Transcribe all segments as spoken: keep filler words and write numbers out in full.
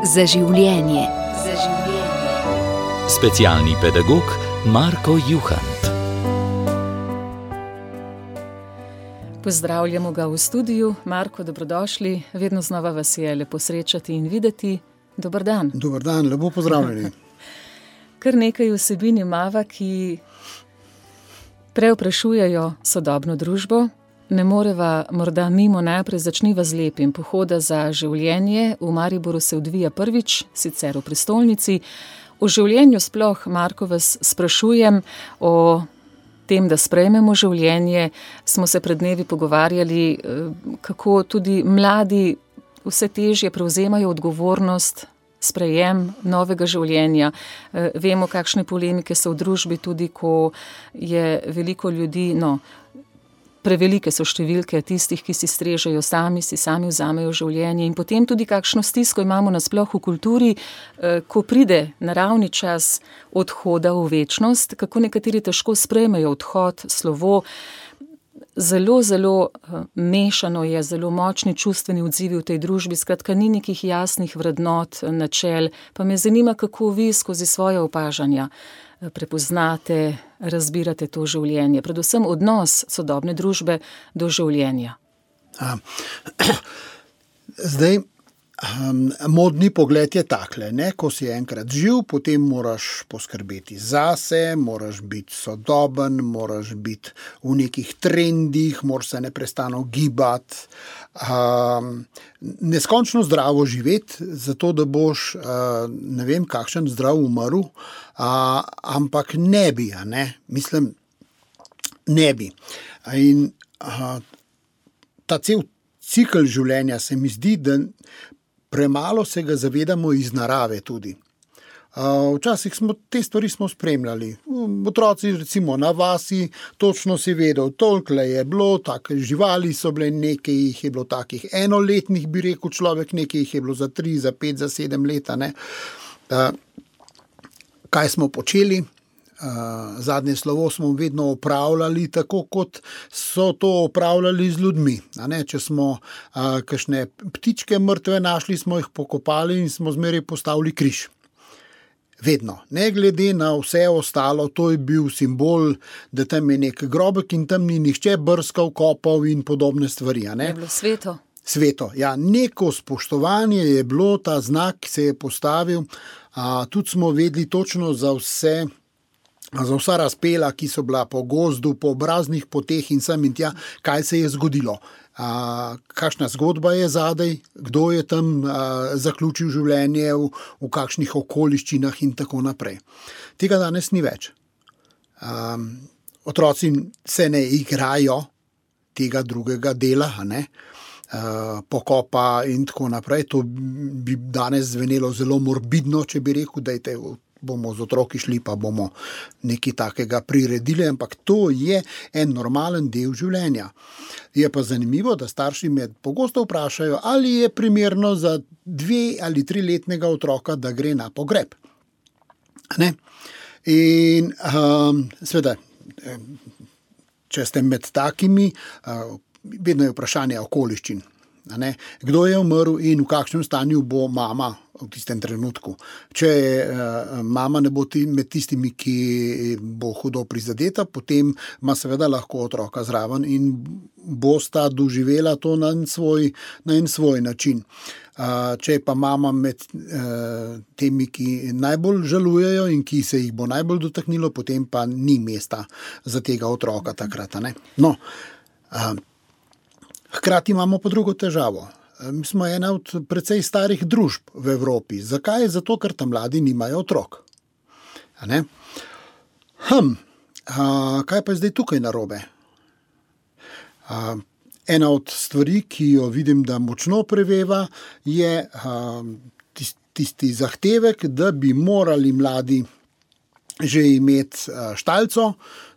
Za življenje. Za življenje. Specialni pedagog Marko Juhant. Pozdravljamo ga v studiu. Marko, dobrodošli. Vedno znova vas je lepo srečati in videti. Dober dan. Dober dan, lepo pozdravljeni. Kar nekaj vsebin imava, ki preoprašujejo sodobno družbo. Ne moreva morda mimo najprej začniva z lepim. Pohoda za življenje v Mariboru se odvija prvič, sicer v prestolnici. O življenju sploh, Marko, vas sprašujem, o tem, da sprejmemo življenje. Smo se pred dnevi pogovarjali, kako tudi mladi vse težje prevzemajo odgovornost, sprejem novega življenja. Vemo, kakšne polemike so v družbi, tudi ko je veliko ljudi, no, prevelike so številke tistih, ki si strežejo sami, si sami vzamejo življenje, in potem tudi kakšno stisko imamo nasploh v kulturi, ko pride naravni čas odhoda v večnost, kako nekateri težko sprejmejo odhod, slovo. Zelo, zelo mešano je, zelo močni čustveni odzivi v tej družbi, skratka ni nekih jasnih vrednot, načel. Pa me zanima, kako vi skozi svoje opažanja prepoznate, razbirate to življenje, predvsem odnos sodobne družbe do življenja. A, zdaj, um, modni pogled je takle, ne? Ko si enkrat živ, potem moraš poskrbeti zase, moraš biti sodoben, moraš biti v nekih trendih, moraš se neprestano gibati, um, neskončno zdravo živeti, zato da boš, uh, ne vem, kakšen zdrav umrl, uh, ampak ne bi, a ne, mislim, ne bi. In uh, ta cel cikl življenja se mi zdi, da premalo se ga zavedamo iz narave tudi. Uh, včasih smo te stvari smo spremljali. Otroci recimo na vasi, točno si vedel, toliko je bilo, take živali so bile, nekaj jih je bilo takih enoletnih, bi rekel človek, nekaj jih je bilo za tri, za pet, za sedem leta. Ne? Uh, kaj smo počeli? Uh, zadnje slovo smo vedno opravljali tako, kot so to opravljali z ljudmi. A ne? Če smo uh, kakšne ptičke mrtve našli, smo jih pokopali in smo zmeraj postavili križ. Vedno. Ne glede na vse ostalo, to je bil simbol, da tam je nek grobek in tam ni nihče brskal, kopal in podobne stvari. A ne? Je bilo sveto. Sveto, ja, neko spoštovanje je bilo, ta znak se je postavil, uh, tudi smo vedeli točno za vse, za vsa razpela, ki so bila po gozdu, po obraznih poteh in sem in tja, kaj se je zgodilo. A, kakšna zgodba je zadaj, kdo je tam a, zaključil življenje, v, v kakšnih okoliščinah in tako naprej. Tega danes ni več. A, otroci se ne igrajo tega drugega dela, a ne? A, pokopa in tako naprej. To bi danes zvenelo zelo morbidno, če bi rekel, da je bomo z otroki šli, pa bomo nekaj takega priredili, ampak to je en normalen del življenja. Je pa zanimivo, da starši me pogosto vprašajo, ali je primerno za dve ali tri letnega otroka, da gre na pogreb. Ne? In um, seveda, če ste med takimi, uh, vedno je vprašanje okoliščin. Ne? Kdo je umrl in v kakšnem stanju bo mama v tistem trenutku. Če uh, mama ne bo ti, med tistimi, ki bo hudo prizadeta, potem ima seveda lahko otroka zraven in bosta doživela to na en svoj, na en svoj način. Uh, če je pa mama med uh, temi, ki najbolj žalujejo in ki se jih bo najbolj dotaknilo, potem pa ni mesta za tega otroka takrat. Ne? No, uh, hkrati imamo pa drugo težavo. Mi smo ena od precej starih družb v Evropi. Zakaj? Zato, ker tam mladi nimajo otrok. A ne? Hm, a, kaj pa je zdaj tukaj narobe? A, ena od stvari, ki jo vidim, da močno preveva, je a, tisti zahtevek, da bi morali mladi že imeti štalco,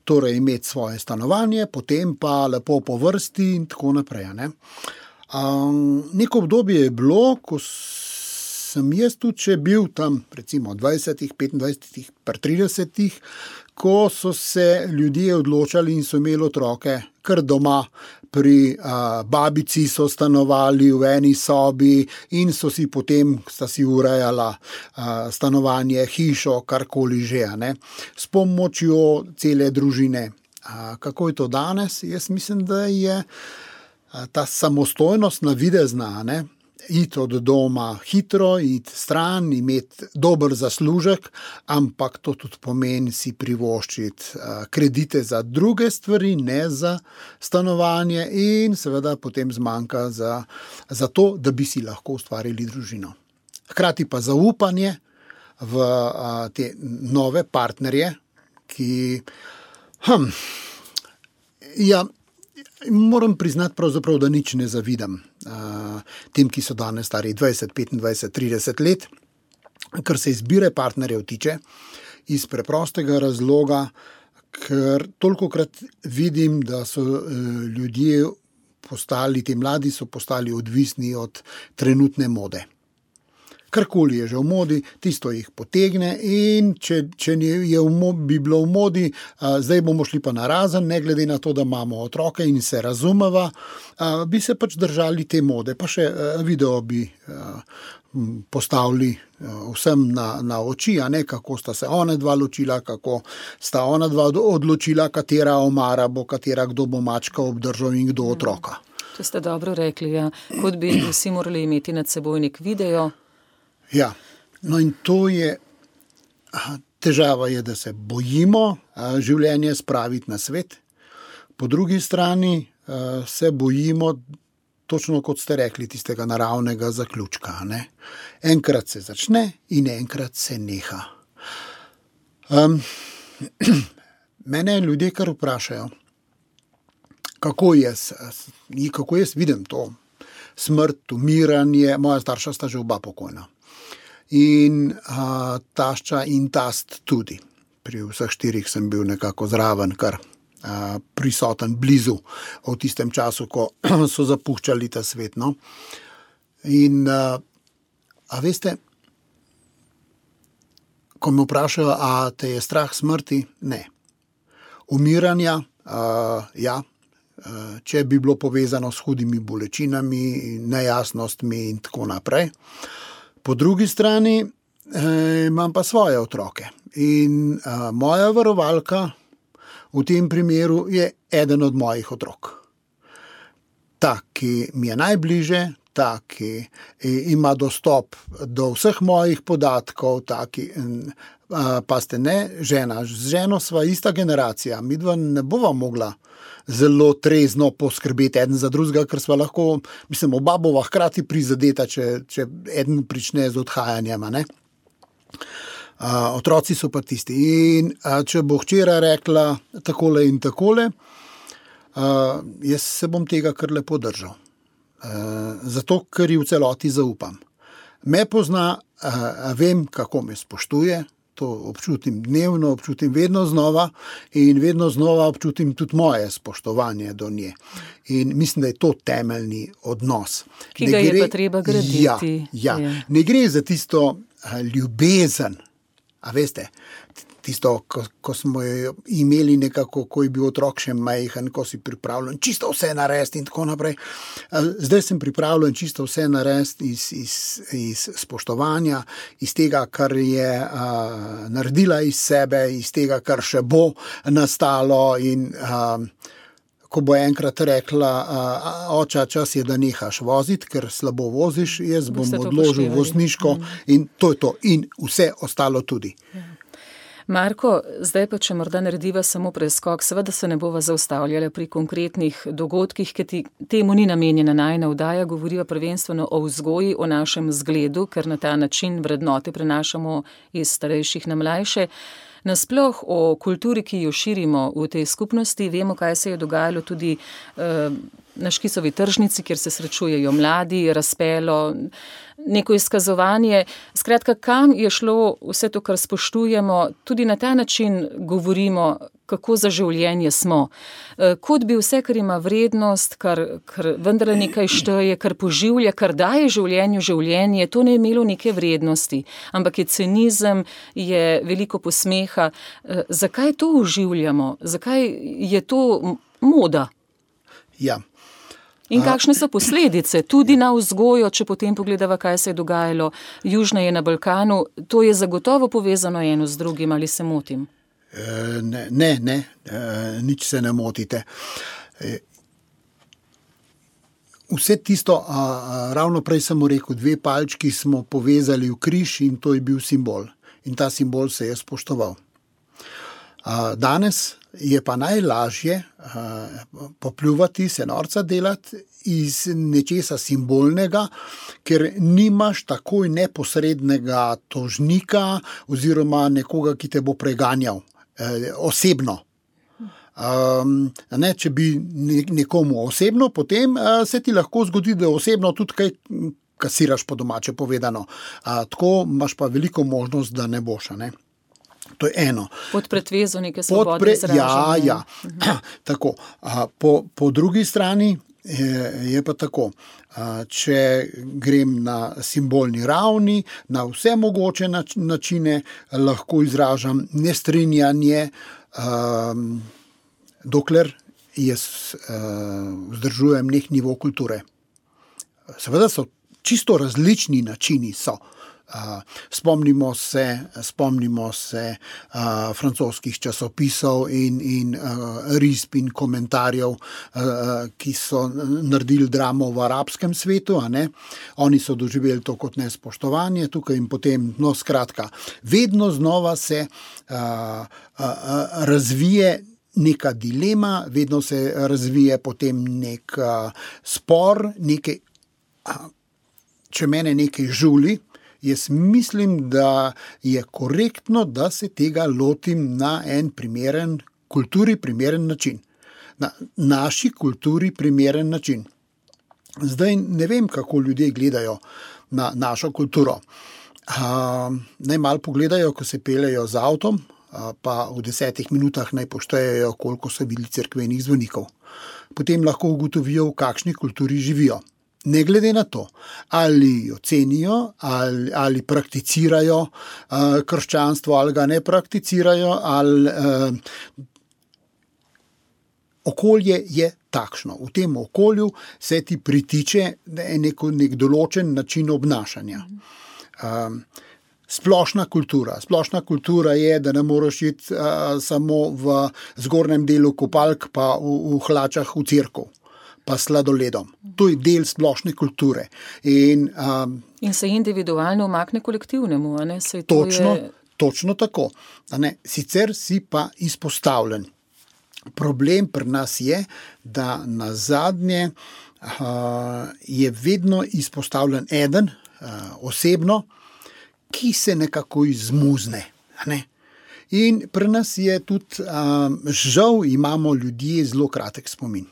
torej imeti svoje stanovanje, potem pa lepo po vrsti in tako naprej. Ne? Um, neko obdobje je bilo, ko sem jaz tudi še bil tam, recimo dvajsetih, petindvajsetih, tridesetih, ko so se ljudje odločali in so imeli otroke kar doma, pri a, babici so stanovali v eni sobi in so si potem sta si urejala a, stanovanje, hišo, karkoli že, ne, s pomočjo cele družine. A, kako je to danes? Jaz mislim, da je a, ta samostojnost navidezna, ne, iti od doma hitro, iti stran, imeti dober zaslužek, ampak to tudi pomeni si privoščiti kredite za druge stvari, ne za stanovanje in seveda potem zmanjka za, za to, da bi si lahko ustvarili družino. Hkrati pa zaupanje v a, te nove partnerje, ki hm, ja, moram priznati pravzaprav, da nič ne zavidam uh, tem, ki so danes stari dvajset, petindvajset, trideset let, kar se izbire partnerjev tiče, iz preprostega razloga, ker tolikokrat vidim, da so uh, ljudje postali, ti mladi so postali odvisni od trenutne mode. Karkoli je že v modi, tisto jih potegne in če, če je v modi, bi bilo v modi, a, zdaj bomo šli pa narazen, ne glede na to, da imamo otroke in se razumeva, a, bi se pač držali te mode, pa še a, video bi a, postavili a, vsem na, na oči, a ne, kako sta se ona dva ločila, kako sta ona dva odločila, katera omara bo, katera kdo bo mačka obdržal in kdo otroka. To ste dobro rekli, ja. Kot bi vsi morali imeti nad seboj nek video. Ja, no in to je, težava je, da se bojimo življenje spraviti na svet, po drugi strani se bojimo, točno kot ste rekli, tistega naravnega zaključka, ne? Enkrat se začne in enkrat se neha. Um, mene ljudje kar vprašajo, kako jaz, kako jaz vidim to smrt, umiranje, moja starša sta že oba pokojna. In a, tašča in tast tudi. Pri vseh štirih sem bil nekako zraven, kar a, prisoten blizu v tistem času, ko so zapuščali ta svet. No? In a, a veste, ko me vprašajo, a te je strah smrti? Ne. Umiranja, a, ja, a, če bi bilo povezano s hudimi bolečinami, nejasnostmi in tako naprej. Po drugi strani eh, imam pa svoje otroke in eh, moja varovalka v tem primeru je eden od mojih otrok. Ta, ki mi je najbliže, ta, ki eh, ima dostop do vseh mojih podatkov, ta, ki, eh, pa ste ne, žena, z ženo sva ista generacija, midva ne bova mogla zelo trezno poskrbeti eden za drugega, ker sva lahko, mislim, oba bova hkrati prizadeta, če, če eden prične z odhajanjem, ne. A, otroci so pa tisti. In a, če bo hčera rekla takole in takole, a, jaz se bom tega kar lepo držal. A, zato, ker ji v celoti zaupam. Me pozna, a, vem, kako me spoštuje, to občutim dnevno, občutim vedno znova in vedno znova občutim tudi moje spoštovanje do nje. In mislim, da je to temeljni odnos. Ki ga je pa treba graditi. Ja, ja. Ja. Ne gre za tisto ljubezen, a veste, tisto, ko, ko smo jo imeli nekako, ko je bil otrok še majhen, ko si pripravljen čisto vse narediti in tako naprej. Zdaj sem pripravljen čisto vse narediti iz, iz, iz spoštovanja, iz tega, kar je a, naredila iz sebe, iz tega, kar še bo nastalo in a, ko bo enkrat rekla, a, oča, čas je, da nehaš voziti, ker slabo voziš, jaz bom odložil vozniško mm. in to je to. In vse ostalo tudi. Ja. Marko, zdaj pa, če morda narediva samo preskok, seveda se ne bova zaustavljala pri konkretnih dogodkih, ker ti, temu ni namenjena najina vdaja, govoriva prvenstveno o vzgoji, o našem zgledu, ker na ta način vrednote prenašamo iz starejših na mlajše. Nasploh o kulturi, ki jo širimo v tej skupnosti, vemo, kaj se je dogajalo tudi eh, na Škisovi tržnici, kjer se srečujejo mladi, razpelo, neko izkazovanje. Skratka, kam je šlo vse to, kar spoštujemo, tudi na ta način govorimo, kako za življenje smo. Kot bi vse, kar ima vrednost, kar, kar vendar nekaj šteje, kar poživlja, kar daje življenju življenje, to ne je imelo neke vrednosti, ampak je cinizem, je veliko posmeha. Zakaj to uživljamo? Zakaj je to moda? Ja. In kakšne so posledice, tudi na vzgojo, če potem pogledava, kaj se je dogajalo južneje na Balkanu, to je zagotovo povezano eno z drugim, ali se motim? Ne, ne, ne, nič se ne motite. Vse tisto, ravno prej sem rekel, dve palčki smo povezali v križ in to je bil simbol. In ta simbol se je spoštoval. Danes je pa najlažje popljuvati, se norca delati iz nečesa simbolnega, ker nimaš takoj neposrednega tožnika oziroma nekoga, ki te bo preganjal osebno. Um, ne, če bi nekomu osebno, potem uh, se ti lahko zgodi, da osebno tudi kaj kasiraš po domače povedano. Uh, tako imaš pa veliko možnost, da ne boš, ne. To je eno. Pod pretvezo neke svobode pre... izražanja. Ja, ja. Uh-huh. Tako. Uh, po, po drugi strani je, je pa tako. Uh, če grem na simbolni ravni, na vse mogoče nač- načine, lahko izražam nestrinjanje, um, dokler jaz uh, vzdržujem nek nivo kulture. Seveda so čisto različni načini so. Uh, spomnimo se, spomnimo se uh, francoskih časopisov in, in uh, risb in komentarjev, uh, ki so naredili dramo v arabskem svetu, a ne? Oni so doživeli to kot nespoštovanje tukaj in potem, no skratka, vedno znova se uh, uh, uh, razvije neka dilema, vedno se razvije potem nek uh, spor, nekaj, uh, če mene nekaj žuli, jaz mislim, da je korektno, da se tega lotim na en primeren, kulturi primeren način. Na naši kulturi primeren način. Zdaj ne vem, kako ljudje gledajo na našo kulturo. Uh, naj malo pogledajo, ko se peljejo z avtom, uh, pa v desetih minutah naj poštejejo, koliko so bili cerkvenih zvonikov. Potem lahko ugotovijo, v kakšni kulturi živijo. Ne glede na to, ali jo cenijo, ali, ali prakticirajo uh, krščanstvo, ali ga ne prakticirajo, ali uh, okolje je takšno. V tem okolju se ti pritiče nek, nek določen način obnašanja. Um, splošna kultura. Splošna kultura je, da ne moreš iti uh, samo v zgornjem delu kopalk, pa v, v hlačah v cerkev. Pa sladoledom. To je del splošne kulture. In, um, in se individualno umakne kolektivnemu, a ne? Saj to točno, je... točno tako. A ne? Sicer si pa izpostavljen. Problem pri nas je, da na zadnje uh, je vedno izpostavljen eden uh, osebno, ki se nekako izmuzne. A ne? In pri nas je tudi, um, žal imamo ljudje zelo kratek spomin.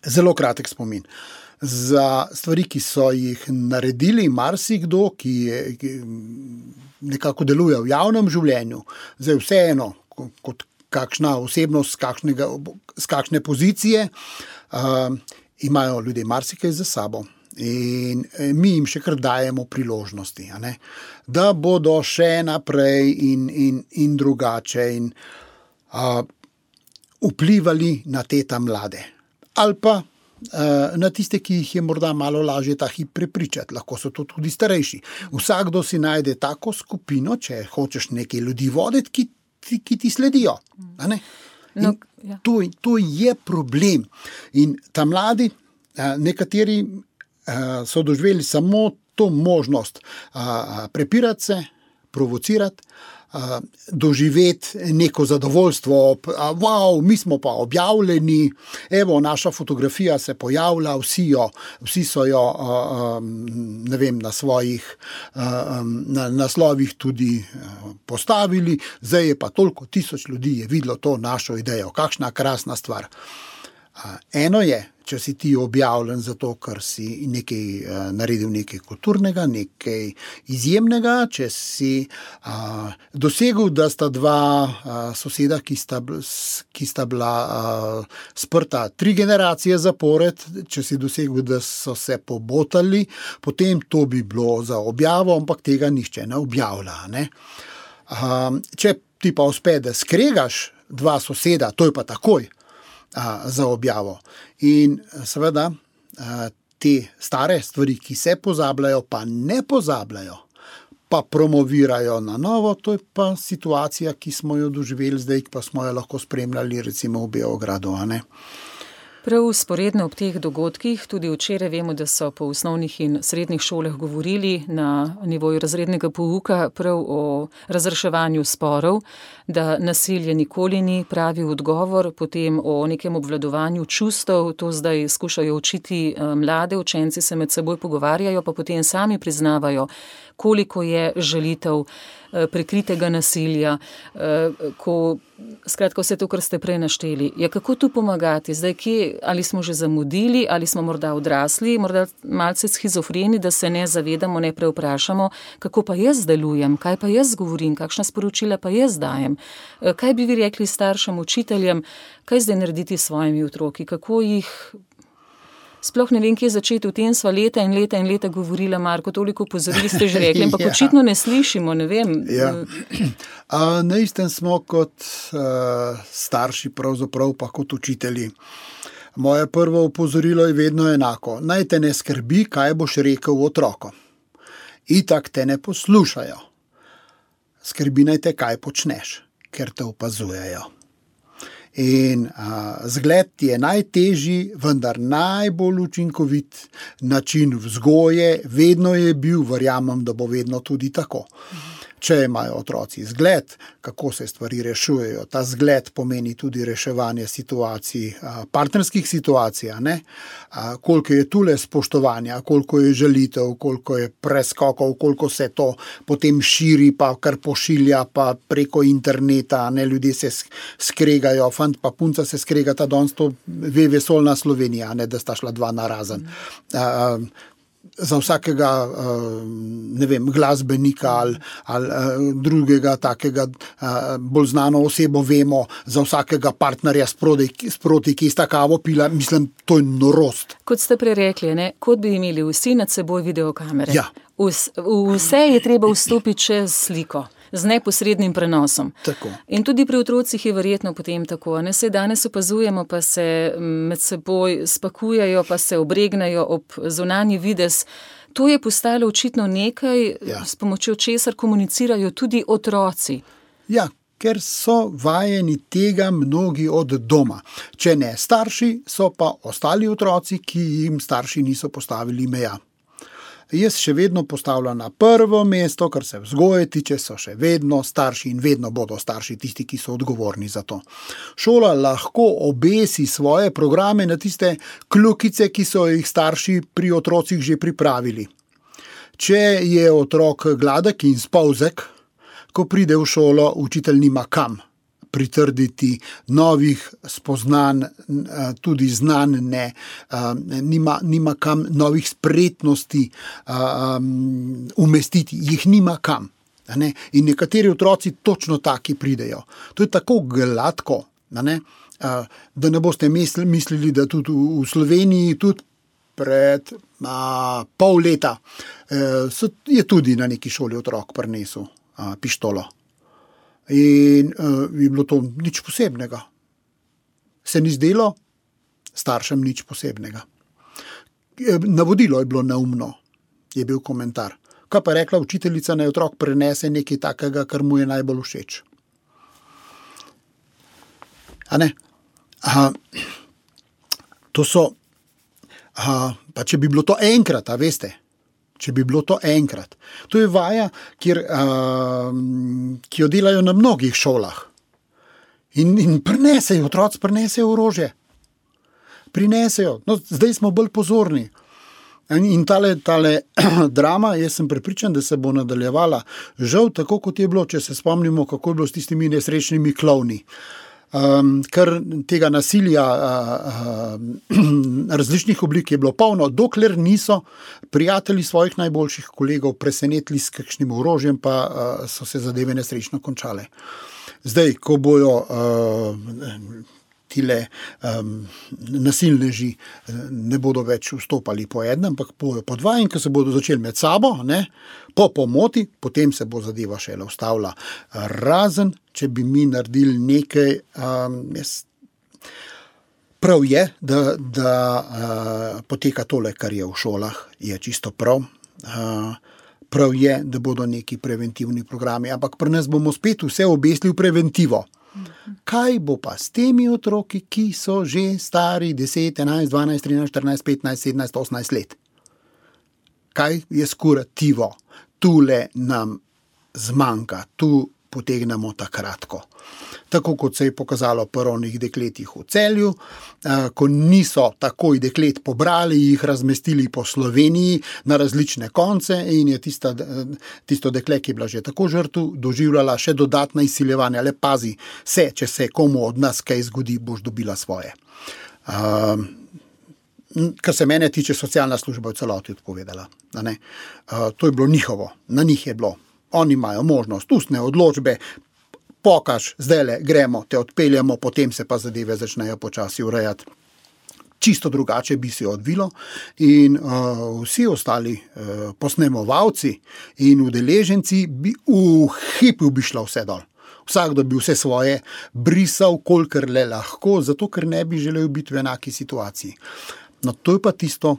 Zelo kratek spomin. Za stvari, ki so jih naredili marsikdo, ki, je, ki nekako deluje v javnem življenju, zdaj vseeno, kot kakšna osebnost, z, kakšnega, z kakšne pozicije, uh, imajo ljudje marsikaj za sabo. In mi jim še kar dajemo priložnosti, a ne? Da bodo še naprej in, in, in drugače in uh, vplivali na te ta mlade. Ali pa uh, na tiste, ki jih je morda malo lažje ta hip prepričati. Lahko so to tudi starejši. Vsakdo si najde tako skupino, če hočeš nekaj ljudi voditi, ki, ki, ki ti sledijo. A ne? No, ja. to, to je problem. In ta mladi, uh, nekateri uh, so doživeli samo to možnost uh, prepirati se, provocirati, Uh, doživeti neko zadovoljstvo, uh, wow, mi smo pa objavljeni, evo, naša fotografija se pojavlja, vsi, jo, vsi so jo uh, um, ne vem, na svojih uh, um, na, naslovih tudi uh, postavili, zdaj je pa toliko tisoč ljudi je videlo to našo idejo, kakšna krasna stvar. Uh, eno je, če si ti objavljen zato, ker si nekaj uh, naredil nekaj kulturnega, nekaj izjemnega, če si uh, dosegel, da sta dva uh, soseda, ki sta, ki sta bila uh, sprta tri generacije zapored, če si dosegel, da so se pobotali, potem to bi bilo za objavo, ampak tega nihče ne objavlja. Ne? Uh, če ti pa uspe, da skregaš dva soseda, to je pa takoj a, za objavo. In seveda a, te stare stvari, ki se pozabljajo, pa ne pozabljajo, pa promovirajo na novo, to je pa situacija, ki smo jo doživeli zdaj, pa smo jo lahko spremljali recimo v Beogradu, a ne? Prav vzporedno ob teh dogodkih, tudi včeraj vemo, da so po osnovnih in srednjih šolah govorili na nivoju razrednega pouka prav o razreševanju sporov, da nasilje nikoli ni pravi odgovor, potem o nekem obvladovanju čustev, to zdaj skušajo učiti mlade, učenci se med seboj pogovarjajo, pa potem sami priznavajo, koliko je žalitev prikritega nasilja, ko, skratka, vse to, kar ste prej našteli. Ja, kako tu pomagati? Zdaj, kje, ali smo že zamudili, ali smo morda odrasli, morda malce schizofreni, da se ne zavedamo, ne preoprašamo, kako pa jaz delujem, kaj pa jaz govorim, kakšna sporočila pa jaz dajem. Kaj bi vi rekli staršem, učiteljem, kaj zdaj narediti s svojimi otroki, kako jih... Sploh ne vem, kje začeti, v tem sva leta in leta in leta govorila, Marko, toliko pozorili ste že rekli, ampak ja. Očitno ne slišimo, ne vem. Ja. A, na istem smo kot uh, starši, pravzaprav pa kot učitelji. Moje prvo opozorilo je vedno enako. Naj te ne skrbi, kaj boš rekel otrokom. Itak te ne poslušajo. Skrbi naj te, kaj počneš, ker te opazujejo. In a, zgled je najtežji, vendar najbolj učinkovit način vzgoje, vedno je bil, verjamem, da bo vedno tudi tako. Če imajo otroci zgled, kako se stvari rešujejo, ta zgled pomeni tudi reševanje situacij, partnerskih situacij, ne? Koliko je tule spoštovanja, koliko je žalitev, koliko je preskokov, koliko se to potem širi, pa kar pošilja, pa preko interneta, ne? Ljudje se skregajo, fant pa punca se skregata, danes to ve vesolna Slovenija, ne? Da sta šla dva narazen. Mm. Za vsakega, ne vem, glasbenika ali, ali drugega takega bolj znano osebo vemo, za vsakega partnerja sproti, sproti ki sta kavo pila, mislim, to je norost. Kot ste prerekli, ne, kot bi imeli vsi nad seboj videokamere. Ja. Vs, vse je treba vstopiti čez sliko, z neposrednim prenosom. Tako. In tudi pri otrocih je verjetno potem tako. Ne, se danes opazujemo, pa se med seboj spakujejo, pa se obregnajo ob zunanji videz. To je postalo očitno nekaj, ja. S pomočjo česar komunicirajo tudi otroci. Ja, ker so vajeni tega mnogi od doma. Če ne starši, so pa ostali otroci, ki jim starši niso postavili meja. Jaz še vedno postavljam na prvo mesto, kar se vzgoje tiče, so še vedno starši in vedno bodo starši tisti, ki so odgovorni za to. Šola lahko obesi svoje programe na tiste kljukice, ki so jih starši pri otrocih že pripravili. Če je otrok gladek in spolzek, ko pride v šolo, učitelj nima kam pritrditi novih spoznanj, tudi znanj, ne, nima, nima kam novih spretnosti um, umestiti, jih nima kam. Ne? In nekateri otroci točno taki pridejo. To je tako gladko, ne? Da ne boste mislili, da tudi v Sloveniji tudi pred a, pol leta so, je tudi na neki šoli otrok prinesel a, pištolo. In uh, je bilo to nič posebnega. Se ni zdelo staršem nič posebnega. Navodilo je bilo neumno, je bil komentar. Kaj pa rekla učiteljica, naj otrok prenese nekaj takega, kar mu je najbolj všeč. A ne? Aha, to so, aha, pa če bi bilo to enkrat, a veste, če bi bilo to enkrat. To je vaja, kjer, uh, ki jo delajo na mnogih šolah. In, in prinesejo, otroci prinesejo orožje. Prinesejo. No, zdaj smo bolj pozorni. In, in tale, tale drama, jaz sem prepričan, da se bo nadaljevala. Žal, tako kot je bilo, če se spomnimo, kako je bilo s tistimi nesrečnimi klovni. Um, ker tega nasilja uh, uh, različnih oblik je bilo polno, dokler niso prijatelji svojih najboljših kolegov presenetili s kakšnim orožjem, pa uh, so se zadeve nesrečno končale. Zdaj, ko bojo uh, tile um, nasilneži ne bodo več vstopali po enem, ampak bojo po dva in ko se bodo začeli med sabo, ne, po pomoti, potem se bo zadeva šele ustavila. Razen, če bi mi naredili nekaj, um, jaz, prav je, da, da uh, poteka tole, kar je v šolah, je čisto prav. Uh, prav je, da bodo neki preventivni programi, ampak pri nas bomo spet vse obesli v preventivo. Kaj bo pa s temi otroki, ki so že stari deset, enajst, dvanajst, trinajst, štirinajst, petnajst, sedemnajst, osemnajst let? Kaj je s kurativo? Tule nam zmanjka, tu potegnemo takratko. Tako kot se je pokazalo pri onih dekletih v Celju, ko niso takoj deklet pobrali, jih razmestili po Sloveniji na različne konce in je tista, tisto dekle, ki je bila že tako žrtev, doživljala še dodatna izsiljevanja. Le pazi se, če se komu od nas kaj zgodi, boš dobila svoje. Uh, kar se mene tiče, socialna služba v celoti odpovedala. Ne? Uh, to je bilo njihovo, na njih je bilo. Oni imajo možnost ustne odločbe, pokaž, zdajle gremo, te odpeljamo, potem se pa zadeve začnejo počasi urejati. Čisto drugače bi se odvilo in uh, vsi ostali uh, posnemovalci in udeleženci bi v hipu bi šlo vse dol. Vsakdo bi vse svoje brisal, kolikor le lahko, zato ker ne bi želel biti v enaki situaciji. No, to je pa tisto,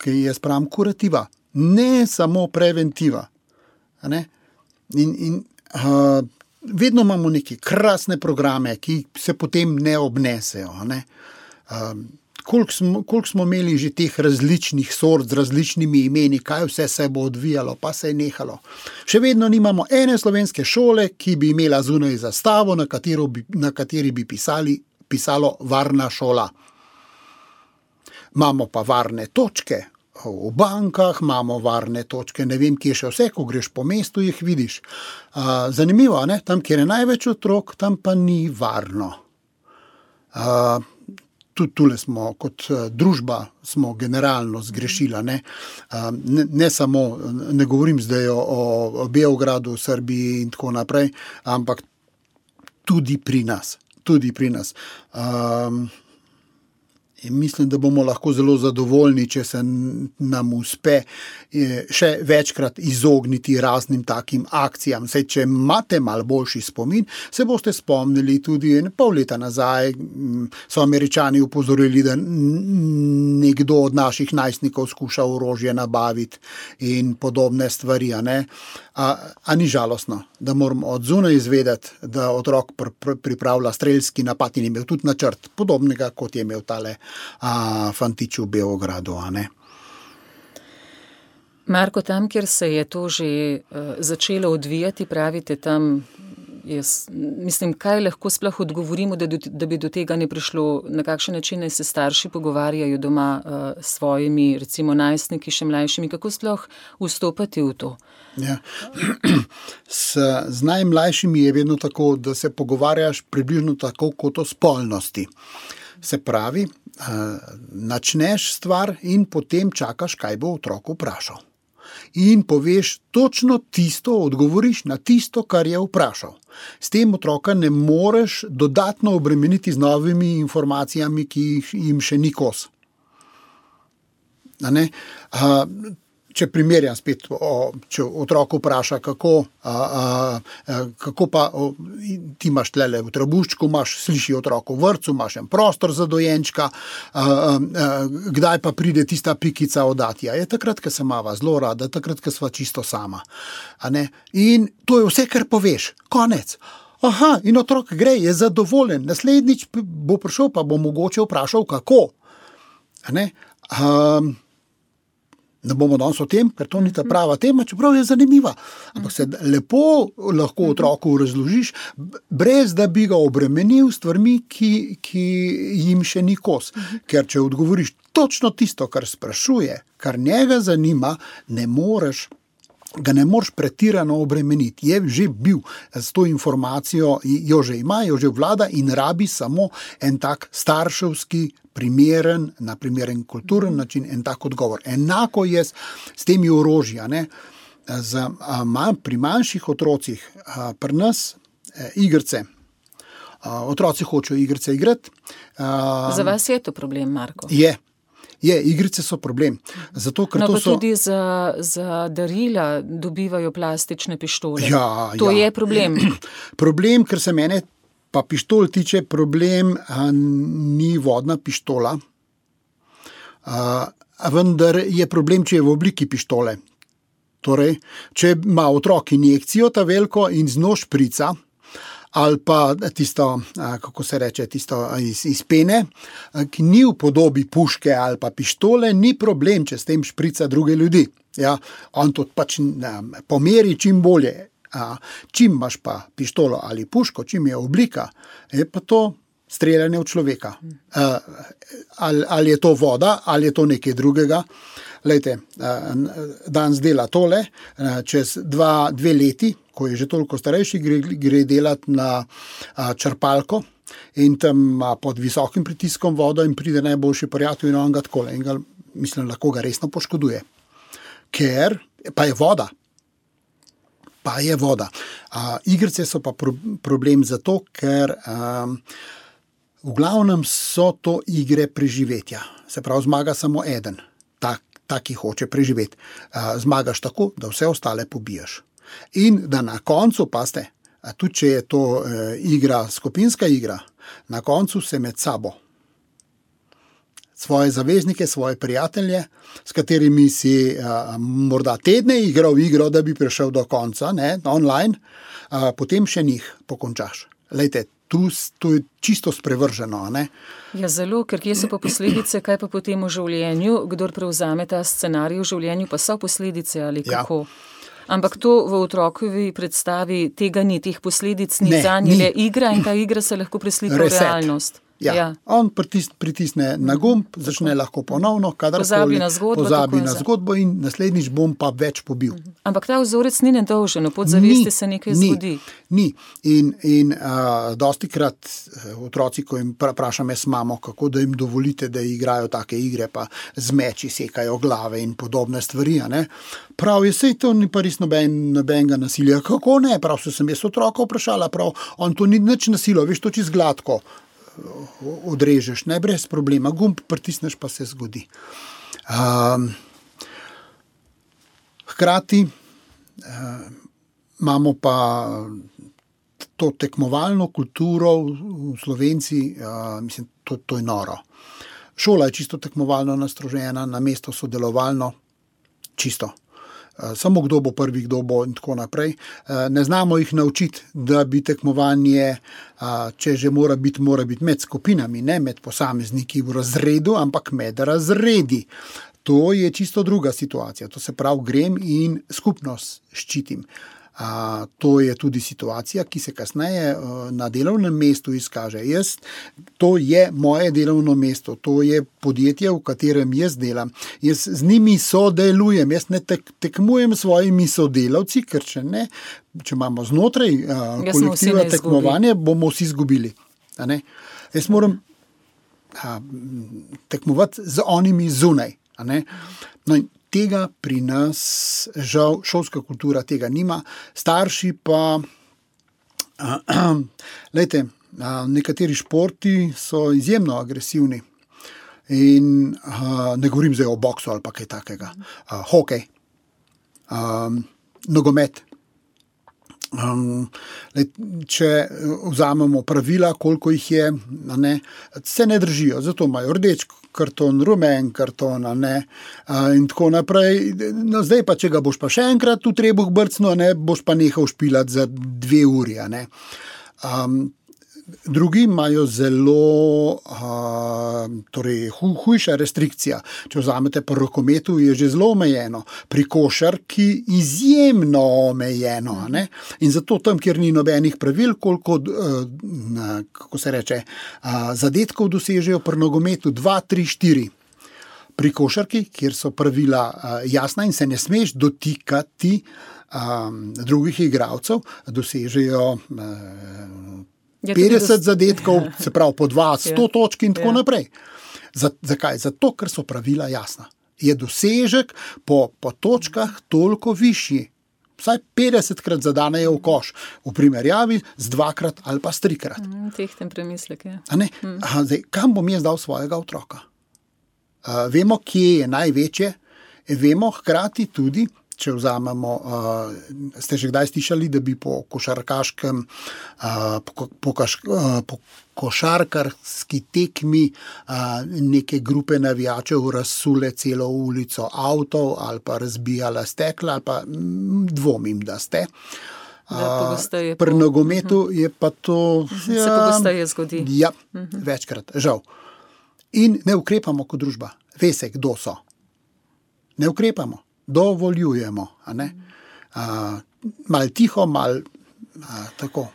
ki je sprem kurativa, ne samo preventiva. Ne? In, in uh, vedno imamo neke krasne programe, ki se potem ne obnesejo. Ne? Uh, koliko, smo, koliko smo imeli že teh različnih sort z različnimi imeni, kaj vse se bo odvijalo, pa se je nehalo. Še vedno nimamo ene slovenske šole, ki bi imela zunaj zastavo, na, bi, na kateri bi pisali, pisalo varna šola. Imamo pa varne točke. V bankah imamo varne točke, ne vem, kje še vse, ko greš po mestu, jih vidiš. Uh, zanimivo, ne? Tam, kjer je največ otrok, tam pa ni varno. Uh, tudi tule smo, kot uh, družba, smo generalno zgrešila. Ne? Uh, ne, ne samo, ne govorim zdaj o, o Beogradu, Srbiji in tako naprej, ampak tudi pri nas. Tudi pri nas. Um, In mislim, da bomo lahko zelo zadovoljni, če se nam uspe še večkrat izogniti raznim takim akcijam. Saj, če imate malo boljši spomin, se boste spomnili tudi pol leta nazaj, so Američani upozorili, da nekdo od naših najstnikov skuša orožje nabaviti in podobne stvari. A, ne? a, a ni žalostno, da moramo od zunaj izvedeti, da otrok pr- pr- pripravlja strelski napad in imel tudi načrt podobnega, kot je imel tale a, fantič v Beogradu, a ne. Marko, tam, kjer se je to že uh, začelo odvijati, pravite tam, jaz mislim, kaj lahko sploh odgovorimo, da, do, da bi do tega ne prišlo, na kakšen način se starši pogovarjajo doma uh, s svojimi, recimo najstniki, še mlajšimi, kako sploh vstopati v to? Ja. S, z najmlajšimi je vedno tako, da se pogovarjaš približno tako kot o spolnosti. Se pravi, načneš stvar in potem čakaš, kaj bo otrok vprašal. In poveš točno tisto, odgovoriš na tisto, kar je vprašal. S tem otroka ne moreš dodatno obremeniti z novimi informacijami, ki jim še ni kos. A ne? A, če primerjam spet, o, če otrok vpraša, kako, a, a, kako pa o, ti imaš tlele v trebuščku, imaš, sliši otrok v vrtcu, imaš en prostor za dojenčka, a, a, a, kdaj pa pride tista pikica od atija? Je takrat, ko se mava zelo rada, takrat, ko sva čisto sama. A ne? In to je vse, kar poveš. Konec. Aha, in otrok gre, je zadovoljen. Naslednjič bo prišel, pa bo mogoče vprašal, kako. A ne? A, Ne bomo danes o tem, ker to ni ta prava tema, čeprav je zanimiva. Ampak se lepo lahko otroku razložiš, brez da bi ga obremenil s stvarmi, ki, ki jim še ni kos. Ker če odgovoriš točno tisto, kar sprašuje, kar njega zanima, ne moreš ga ne moreš pretirano obremeniti. Je že bil s to informacijo, jo že ima, jo že vlada in rabi samo en tak starševski, primeren, na primeren kulturen način, en tak odgovor. Enako je s, s temi orožja, ne. Z, a, ma, pri manjših otrocih, a, pri nas e, igrice. A, otroci hočejo igrice igrati. A, Za vas je to problem, Marko? Je. Je, igrice so problem. Zato, ker no, to pa so... tudi za, za darila dobivajo plastične pištole. Ja, to ja. je problem. Problem, ker se mene pa pištol tiče, problem a, ni vodna pištola, a, a vendar je problem, če je v obliki pištole. Torej, če ima otrok injekcijo ta veliko in z njo šprica, ali pa tisto, kako se reče, tisto iz, iz pene, ki ni v podobi puške ali pa pištole, ni problem, če s tem šprica druge ljudi. Ja, on to pač pomeri čim bolje. Čim imaš pa pištolo ali puško, čim je oblika, je pa to streljanje v človeka. Ali, ali je to voda, ali je to nekaj drugega. Lejte, danes dela tole, čez dva, dve leti, ko je že toliko starejši, gre, gre delati na a, črpalko in tam a, pod visokim pritiskom vodo in pride najboljši prijatelj in on ga takole in ga, mislim, lahko ga resno poškoduje. Ker pa je voda. Pa je voda. A, igrice so pa pro, problem zato, ker a, v glavnem so to igre preživetja. Se pravi, zmaga samo eden, tak, tak ki hoče preživeti. A, zmagaš tako, da vse ostale pobiješ. In da na koncu, paste, tudi če je to e, igra, skupinska igra, na koncu se med sabo svoje zaveznike, svoje prijatelje, s katerimi si a, morda tedne igral igro, da bi prišel do konca, ne, online, a, potem še njih pokončaš. Lejte, tu, tu je čisto sprevrženo, ne? Ja, zelo, ker kje so pa posledice, kaj pa potem v življenju, kdor prevzame ta scenarij v življenju, pa so posledice ali kako? Ja. Ampak to v otrokovi predstavi tega ni, teh posledic ni, zanje je igra in ta igra se lahko preslika v realnost. Ja. Ja. On pritis, pritisne na gumb, začne lahko ponovno, kadarkoli pozabi na zgodbo, pozabi na zgodbo in naslednjič bom pa več pobil. Ampak ta vzorec ni nedolžen, v podzavesti se nekaj ni, zgodi. Ni. In, in uh, dosti krat otroci, ko jim vprašam jaz mamo, kako da jim dovolite, da igrajo take igre, pa z meči sekajo glave in podobne stvari, ne? Prav je, sej to ni pa res noben, nobenega nasilja. Kako ne? Prav so sem jaz otroka vprašala, prav on to ni nič nasilo, veš, to čist gladko odrežeš, ne, brez problema, gumb pritisneš, pa se zgodi. Um, hkrati um, imamo pa to tekmovalno kulturo v Slovenci, uh, mislim, to, to je noro. Šola je čisto tekmovalno nastrožena, na mesto sodelovalno, čisto. Samo kdo bo prvi, kdo bo in tako naprej. Ne znamo jih naučiti, da bi tekmovanje, če že mora biti, mora biti med skupinami, ne med posamezniki v razredu, ampak med razredi. To je čisto druga situacija. To se pravi, grem in skupnost ščitim. A, to je tudi situacija, ki se kasneje uh, na delovnem mestu izkaže. Jaz, to je moje delovno mesto, to je podjetje, v katerem jaz delam. Jaz z njimi sodelujem, jaz ne tek, tekmujem s svojimi sodelavci, ker če ne, če imamo znotraj uh, kolektiva tekmovanje, bomo vsi izgubili. A ne? Jaz moram a, tekmovati z onimi zunaj. A ne? No in tega pri nas, žal, šolska kultura tega nima. Starši pa, lejte, nekateri športi so izjemno agresivni. In ne govorim zdaj o boksu ali pa kaj takega. Hokej, nogomet. Um, če vzamemo pravila, koliko jih je, ne, se ne držijo, zato imajo rdeč karton, rumen karton, ne, in tako naprej. No, zdaj pa, če ga boš pa še enkrat v trebuh brcno, ne, boš pa nehal špilati za dve uri. Ne. Um, drugi imajo zelo uh, torej, hu, hujša restrikcija. Če vzamete pri rokometu, je že zelo omejeno. Pri košarki izjemno omejeno. Ne? In zato tam, kjer ni nobenih pravil, koliko, uh, kako se reče, uh, zadetkov dosežejo pri nogometu, dva, tri, štiri. pri košarki, kjer so pravila uh, jasna in se ne smeš dotikati um, drugih igralcev, dosežejo uh, Ja, petdeset dos... zadetkov, se pravi po dva, sto Ja. točk in tako Ja. naprej. Z, zakaj? Zato, ker so pravila jasna. Je dosežek po, po točkah toliko višji. Vsaj petdesetkrat zadanejo v koš, v primerjavi z dvakrat ali pa s trikrat. Mm, tehten premislek, ja. A ne? Aha, zdaj, kam bom jaz dal svojega otroka? Uh, vemo, kje je največje, vemo hkrati tudi, če vzamemo, uh, ste že kdaj slišali, da bi po košarkaškem, uh, po, po, kaš, uh, po košarkarski tekmi uh, neke grupe navijačev razsule celo ulico avtov ali pa razbijala stekla, ali pa m, dvomim, da ste. Da, Uh, pri nogometu uh-huh. je pa to... Se ja, pogosteje zgodi. Ja, uh-huh. večkrat, žal. In ne ukrepamo kot družba. Ve se, kdo so. Ne ukrepamo. Dovoljujemo. A ne? Uh, mal tiho, mal uh, tako.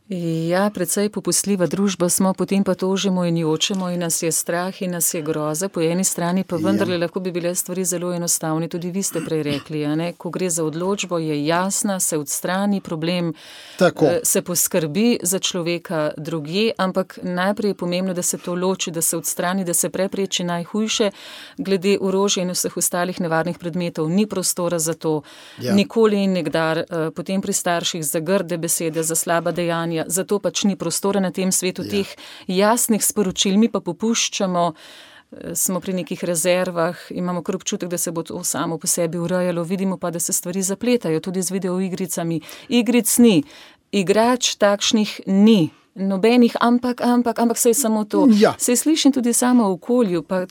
Ja, precej popustljiva družba smo, potem pa tožimo in jočemo in nas je strah in nas je groza. Po eni strani pa vendarle ja. lahko bi bile stvari zelo enostavne. Tudi vi ste prej rekli, a ne? Ko gre za odločbo, je jasna, se odstrani problem, tako. se poskrbi za človeka drugje, ampak najprej je pomembno, da se to loči, da se odstrani, da se prepreči najhujše. Glede orožja in vseh ostalih nevarnih predmetov ni prostora za to. Ja. Nikoli in nikdar, potem pri starših za grde besede, za slaba dejanja, zato pač ni prostora na tem svetu ja. teh jasnih sporočil, mi pa popuščamo, smo pri nekih rezervah, imamo kar občutek, da se bo to samo po sebi urejalo, vidimo pa, da se stvari zapletajo, tudi z videoigricami. Igric ni, igrač takšnih ni, nobenih, ampak, ampak, ampak se je samo to. Ja. Se slišim tudi samo v okolju, pa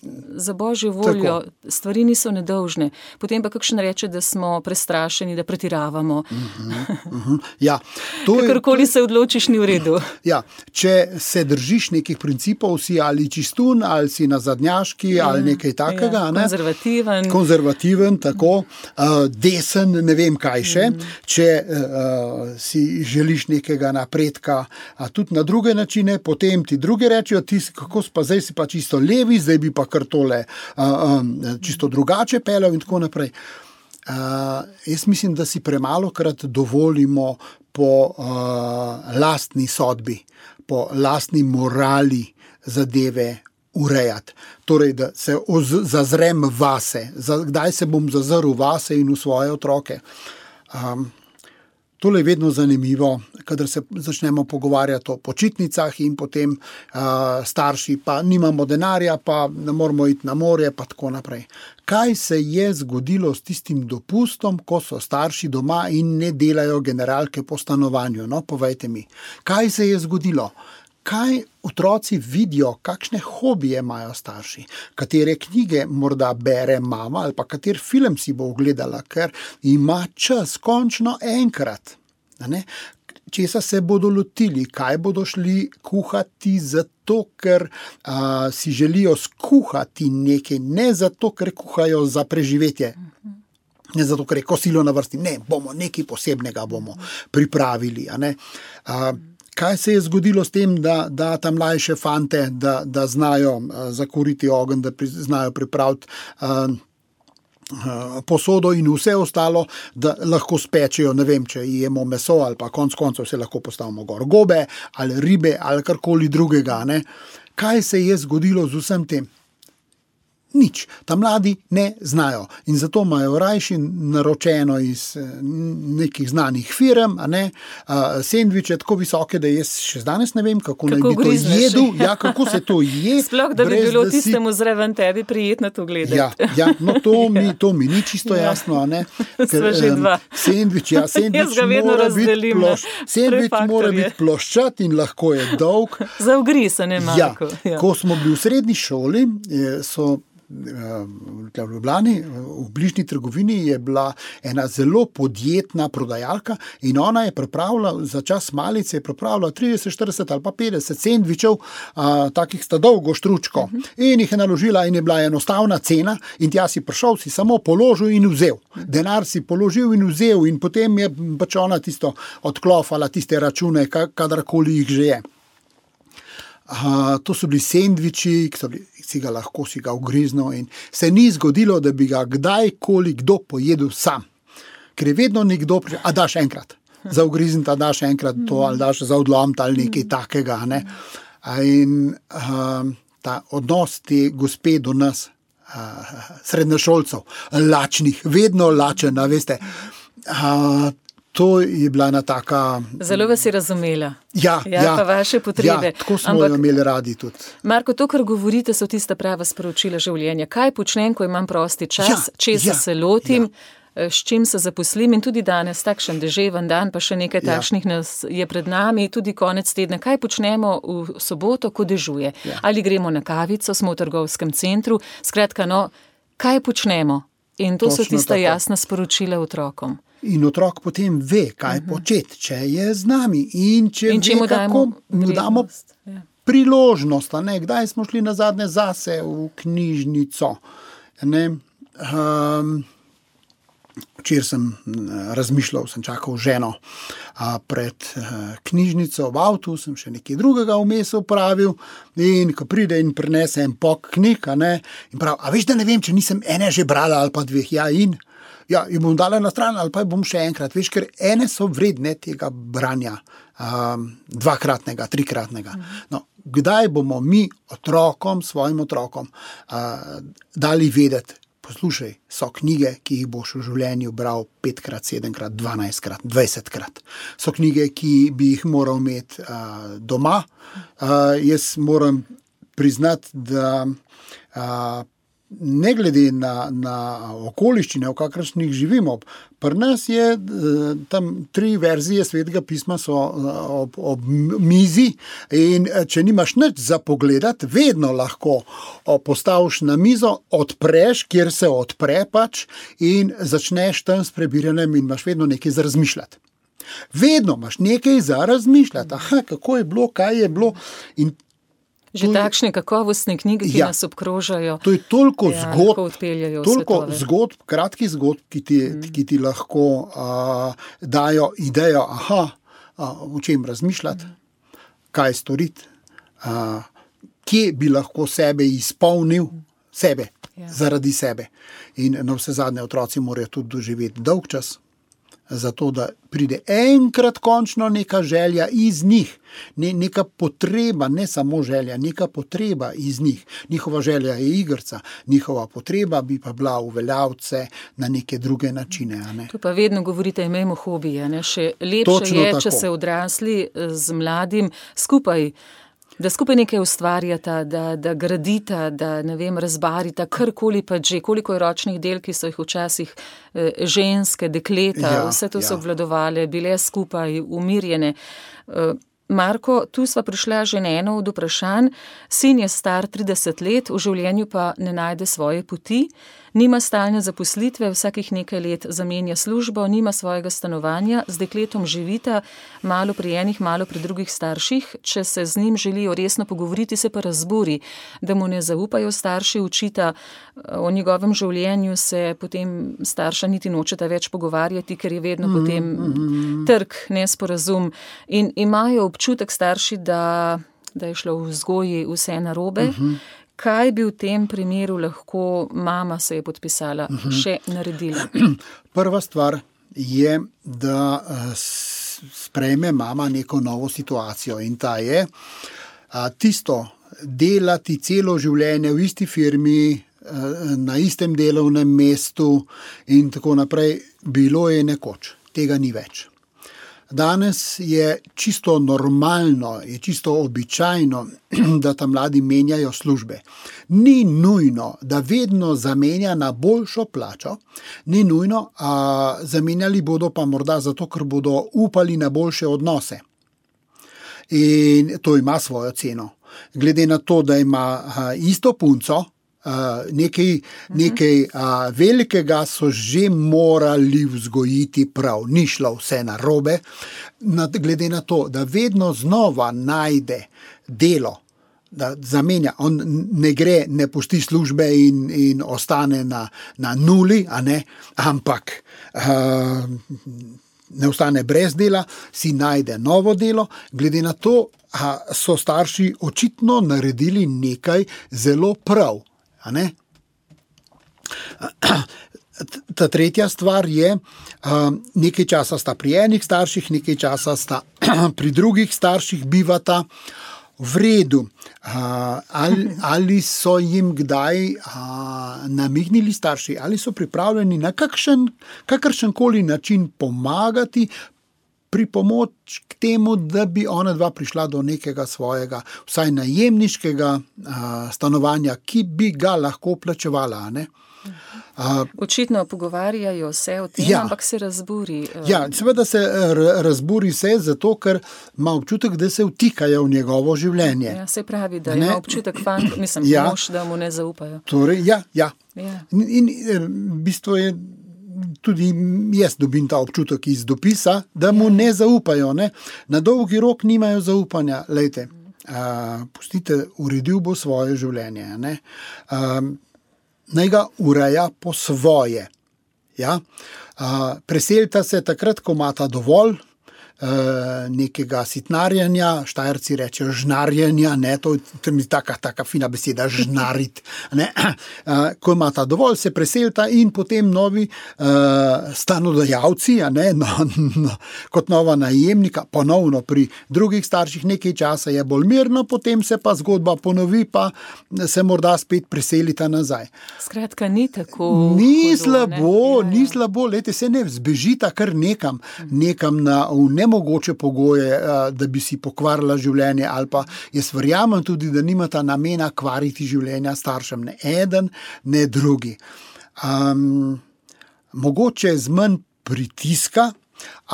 za božjo voljo, tako. Stvari niso nedolžne. Potem pa kakšen reče, da smo prestrašeni, da pretiravamo. Uh-huh, uh-huh. Ja, to je, kakorkoli se odločiš, ni v redu. Ja, če se držiš nekih principov, si ali čistun, ali si nazadnjaški, ja, ali nekaj takega. Ja, ne? Konzervativen. Konzervativen, tako. Uh, desen, ne vem kaj še. Mm. Če uh, si želiš nekega napredka, a tudi na druge načine, potem ti drugi rečejo, ti si, kako pa zdaj si pa čisto levi, zdaj bi pa kar tole uh, um, čisto drugače pelal in tako naprej. Uh, jaz mislim, da si premalo krat dovolimo po uh, lastni sodbi, po lastni morali zadeve urejati. Torej, da se oz- zazrem vase, kdaj se bom zazrl vase in v svoje otroke. Um, Tole je vedno zanimivo, kadar se začnemo pogovarjati o počitnicah in potem uh, starši pa nimamo denarja, pa ne moramo iti na morje, pa tako naprej. Kaj se je zgodilo s tistim dopustom, ko so starši doma in ne delajo generalke po stanovanju? No, povejte mi, kaj se je zgodilo? Kaj otroci vidijo, kakšne hobije imajo starši, katere knjige morda bere mama ali pa kater film si bo ogledala, ker ima čas končno enkrat. Ne? Česa se bodo lotili, kaj bodo šli kuhati zato, ker a, si želijo skuhati nekaj, ne zato, ker kuhajo za preživetje. Ne zato, ker je kosilo na vrsti, ne, bomo nekaj posebnega bomo pripravili. A ne? A, Kaj se je zgodilo s tem, da, da tam mlajše fante, da, da znajo uh, zakuriti ogenj, da pri, znajo pripraviti uh, uh, posodo in vse ostalo, da lahko spečejo, ne vem, če jemo meso ali pa konc koncev se lahko postavimo gor gobe ali ribe ali karkoli drugega. Ne? Kaj se je zgodilo z vsem tem? Nič. Ta mladi ne znajo in zato imajo rajši naročeno iz nekih znanih firm, a ne, uh, sendviče tako visoke, da jaz še danes ne vem, kako, kako naj bi grizneš. To jedel, ja, kako se to je. Sploh, da bi brez, bilo da tistemu si... zraven tebi prijetno to gledati. Ja, ja, no to mi, to mi ni čisto ja. jasno, a ne. Sva že dva. Sendvič, ja, sendvič mora biti ploš, sendvič mora biti ploščat in lahko je dolg. Za ugriz, ne Marko. Ja, ja. Ko smo bili v srednji šoli, so v Ljubljani, v bližnji trgovini je bila ena zelo podjetna prodajalka in ona je pripravila, za čas malice je pripravila trideset, štirideset ali pa petdeset sendvičev, a, takih sta dolgo štručko uh-huh. in jih je naložila in je bila enostavna cena in tja si prišel, si samo položil in vzel. Denar si položil in vzel in potem je pač ona tisto odklofala, tiste račune, kadarkoli jih že je. Uh, to so bili sendviči, ki so bili, si ga lahko si ga ugriznil in se ni zgodilo, da bi ga kdajkoli kdo pojedel sam. Ker je vedno nekdo prišel, a daš enkrat, za ugrizniti, a daš enkrat to, ali daš za odlomiti ali nekaj takega. Ne? In uh, ta odnos te gospe do nas, uh, srednješolcev, lačnih, vedno lačen, veste, uh, to je bila ena taka... Zelo vas je razumela. Ja, ja, ja. Pa vaše potrebe. Ja, tako smo Ampak, jo imeli radi tudi. Marko, to, kar govorite, so tista prava sporočila življenja. Kaj počnem, ko imam prosti čas, Ja, česa ja, se lotim, ja. s čim se zaposlim in tudi danes takšen deževen dan, pa še nekaj Ja. takšnih nas je pred nami, tudi konec tedna. Kaj počnemo v soboto, ko dežuje? Ja. Ali gremo na kavico, smo v trgovskem centru, skratka, no, kaj počnemo? In to so Točno tista tako. jasna sporočila otrokom. In otrok potem ve, kaj uh-huh. početi, če je z nami in če In če ve, mu dajemo kako mu damo vrednost, ja. priložnost. A ne? Kdaj smo šli nazadnje zase v knjižnico. Ne? Um, včeraj sem razmišljal, sem čakal ženo a, pred a, knjižnico v avtu, sem še nekaj drugega vmes opravil in ko pride in prinese en pok knjig, a ne, in prav, a veš, da ne vem, če nisem ene že brala ali pa dveh, ja in ja, jih bom dala na stran ali pa jih bom še enkrat, veš, ker ene so vredne tega branja, um, dvakratnega, trikratnega. No, kdaj bomo mi otrokom, svojim otrokom uh, dali vedeti, poslušaj, so knjige, ki jih boš v življenju bral petkrat, sedemkrat, dvanajstkrat, dvajsetkrat. So knjige, ki bi jih moral imeti uh, doma. Uh, jaz moram priznati, da uh, ne glede na, na okoliščine, v kakršnih živimo, pri nas je tam tri verzije Svetega pisma so ob, ob mizi in če nimaš nič za pogledati, vedno lahko postaviš na mizo, odpreš, kjer se odpre pač in začneš tam s prebiranjem in imaš vedno nekaj za razmišljati. Vedno imaš nekaj za razmišljati. Aha, kako je bilo, kaj je bilo in Že takšne kakovostne knjige, ki ja, nas obkrožajo. To je toliko ja, zgodb, toliko zgodb, kratkih zgodb, ki ti, mm. ki ti lahko uh, dajo idejo, aha, uh, o čem razmišljati, mm. kaj storiti, uh, kje bi lahko sebe izpolnil, sebe, ja. zaradi sebe. In na vse zadnje otroci morajo tudi doživeti dolg čas, zato da pride enkrat končno neka želja iz njih, ne, neka potreba, ne samo želja, neka potreba iz njih. Njihova želja je igrica, njihova potreba bi pa bila uveljavce na neke druge načine. A ne? To pa vedno govorite, imejmo hobije. Ne? Še lepše Točno je, tako. če se odrasli z mladim skupaj, da skupaj nekaj ustvarjata, da, da gradita, da ne vem, razbarita, karkoli pa že, koliko je ročnih del, ki so jih včasih eh, ženske, dekleta, Ja, vse to so ja. obvladovale, bile skupaj, umirjene. Eh, Marko, tu sva prišla že na eno od vprašanj. Sin je star trideset let, v življenju pa ne najde svoje poti, nima stalne zaposlitve, vsakih nekaj let zamenja službo, nima svojega stanovanja, z dekletom živita, malo pri enih, malo pri drugih starših. Če se z njim želijo resno pogovoriti, se pa razburi, da mu ne zaupajo starši, učita o njegovem življenju, se potem starša niti nočeta več pogovarjati, ker je vedno mm, potem mm. trk, nesporazum. In imajo občutek starši, da, da je šlo v vzgoji vse narobe. Mm-hmm. Kaj bi v tem primeru lahko mama se je podpisala, uh-huh. še naredila? Prva stvar je, da sprejme mama neko novo situacijo in ta je tisto delati celo življenje v isti firmi, na istem delovnem mestu in tako naprej, bilo je nekoč, tega ni več. Danes je čisto normalno, je čisto običajno, da tam mladi menjajo službe. Ni nujno, da vedno zamenja na boljšo plačo, ni nujno, a zamenjali bodo pa morda zato, ker bodo upali na boljše odnose. In to ima svojo ceno. Glede na to, da ima a, isto punco, Uh, nekaj, nekaj uh, velikega so že morali vzgojiti prav, ni šlo vse narobe, Nad, glede na to, da vedno znova najde delo, da zamenja, on ne gre, ne pusti službe in, in ostane na, na nuli, a ne, ampak uh, ne ostane brez dela, si najde novo delo, glede na to, a so starši očitno naredili nekaj zelo prav. A ne? Ta tretja stvar je, nekaj časa sta pri enih starših, nekaj časa sta pri drugih starših bivata. V redu, ali, ali so jim kdaj a, namignili starši, ali so pripravljeni na kakšen, kakršenkoli način pomagati pri pomoč k temu, da bi ona dva prišla do nekega svojega, vsaj najemniškega a, stanovanja, ki bi ga lahko plačevala, ne? Uh, Očitno pogovarjajo se o tem, ja, ampak se razburi. Uh, ja, seveda se razburi se zato, ker ima občutek, da se vtikajo v njegovo življenje. Ja, se pravi, da ne? Ima občutek fant, mislim, ja, mož, da mu ne zaupajo. Torej, ja, ja. ja. In, in v bistvu je tudi jaz dobim ta občutek iz dopisa, da mu ja. ne zaupajo. Ne? Na dolgi rok nimajo zaupanja. Lejte, uh, pustite, uredil bo svoje življenje. Ne? Uh, naj ga ureja po svoje. Ja? Uh, preselita se takrat, ko imata dovolj uh, nekega sitnarjanja, Štajerci rečejo žnarjenja, ne, to je mi taka, taka fina beseda, žnarit. Ne? Uh, ko imata dovolj, se preselita in potem novi uh, stanodajalci, a ne, no, no, kot nova najemnika, ponovno pri drugih starših nekaj časa je bolj mirno, potem se pa zgodba ponovi, pa se morda spet preselita nazaj. Skratka, ni tako Ni hudo, slabo, ne? ni slabo, lejte, se ne zbežita kar nekam, nekam na v nemogoče pogoje, da bi si pokvarila življenje, ali pa jaz verjamem tudi, da nimata namena kvariti življenja staršem, ne eden, ne drugi. Um, mogoče z manj pritiska,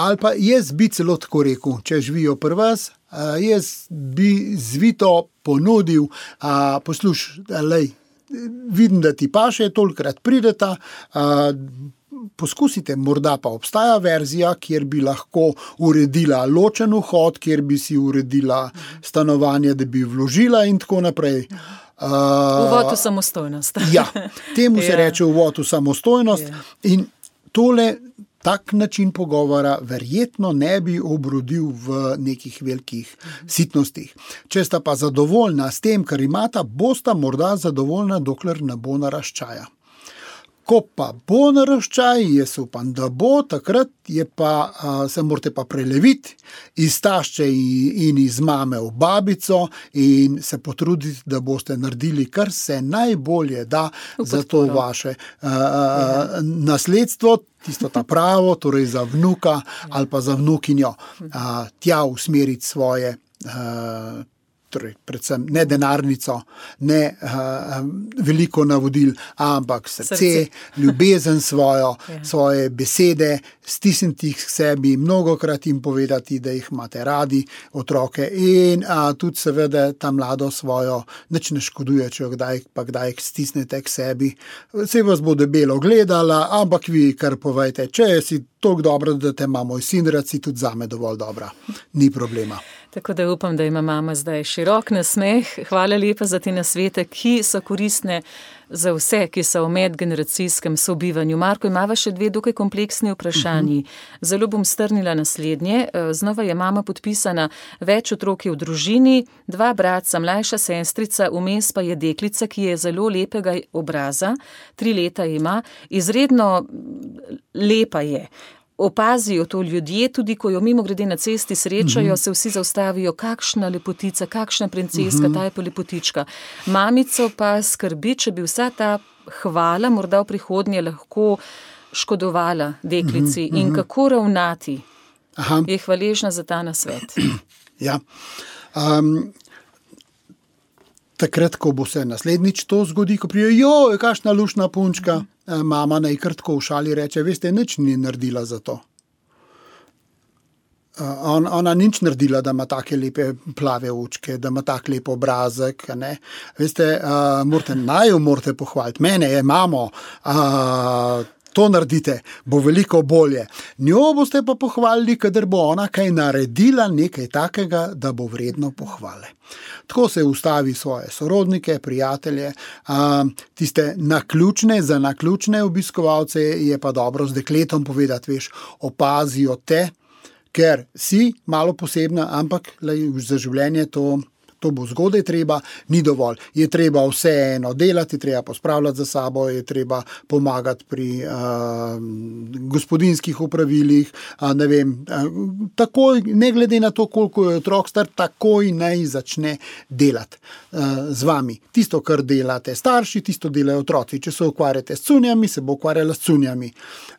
ali pa jaz bi celo tako rekel, če živijo pri vas, uh, jaz bi zvito ponudil, uh, posluš, lej, vidim, da ti paše, tolikrat prideta, uh, poskusite, morda pa obstaja verzija, kjer bi lahko uredila ločen vhod, kjer bi si uredila stanovanje, da bi vložila in tako naprej. Uh, uvod v samostojnost. Ja, temu se ja. reče uvod v samostojnost ja. in tole, tak način pogovora verjetno ne bi obrodil v nekih velikih sitnostih. Če sta pa zadovoljna s tem, kar imata, bosta morda zadovoljna, dokler ne bo naraščaja. Ko pa bo naraščaj, jaz upam, da bo, takrat je pa, a, se morate pa preleviti iz tašče in iz mame v babico in se potruditi, da boste naredili, kar se najbolje da za to vaše a, a, nasledstvo, tisto ta pravo, torej za vnuka ali pa za vnukinjo, a, tja usmeriti svoje a, torej predvsem ne denarnico, ne uh, veliko navodil, ampak srce, srce. ljubezen svojo, ja. svoje besede, stisniti jih k sebi, mnogokrat jim povedati, da jih imate radi, otroke, in uh, tudi seveda ta mlado svojo, nič ne škoduje, če jo kdaj, pa kdaj stisnete k sebi. Se vas bo debelo gledala, ampak vi kar povejte, če si toliko dobro, da te ima moj sin, rad si tudi zame dovolj dobra. Ni problema. Tako da upam, da ima mama zdaj širok nasmeh. Hvala lepa za te nasvete, ki so koristne za vse, ki so v medgeneracijskem sobivanju. Marko, imava še dve dokaj kompleksni vprašanji. Zelo bom strnila naslednje. Znova je mama podpisana, več otrok je v družini, dva bratca, mlajša sestrica, vmes pa je deklica, ki je zelo lepega obraza, tri leta ima, izredno lepa je. Opazijo to ljudje, tudi ko jo mimo grede na cesti srečajo, se vsi zaustavijo, kakšna lepotica, kakšna princeska, ta je pa lepotička. Mamico pa skrbi, če bi vsa ta hvala morda v prihodnje lahko škodovala deklici in kako ravnati. Aha. Je hvaležna za ta nasvet. Ja. Um, takrat, ko bo se naslednjič to zgodi, ko prije, jo, kakšna lušna punčka, mama naj kar tako v šali reče, veste, nič ni naredila za to. On, ona nič naredila, da ima take lepe plave očke, da ima tak lep obrazek. Ne? Veste, uh, morate, naj jo morate pohvaliti. Mene je mamo, uh, To naredite, bo veliko bolje. Njo boste pa pohvalili, kadar bo ona kaj naredila, nekaj takega, da bo vredno pohvale. Tako se ustavi svoje sorodnike, prijatelje, a, tiste naključne, za naključne obiskovalce je pa dobro z dekletom povedati, veš, opazijo te, ker si malo posebna, ampak lej, za življenje to To bo zgodaj treba, ni dovolj. Je treba vseeno delati, treba pospravljati za sabo, je treba pomagati pri uh, gospodinjskih opravilih, uh, ne vem, uh, takoj, ne glede na to, koliko je otrok star, takoj naj začne delati uh, z vami. Tisto, kar delate starši, tisto delajo otroci. Če se ukvarjate s cunjami, se bo ukvarjala s cunjami.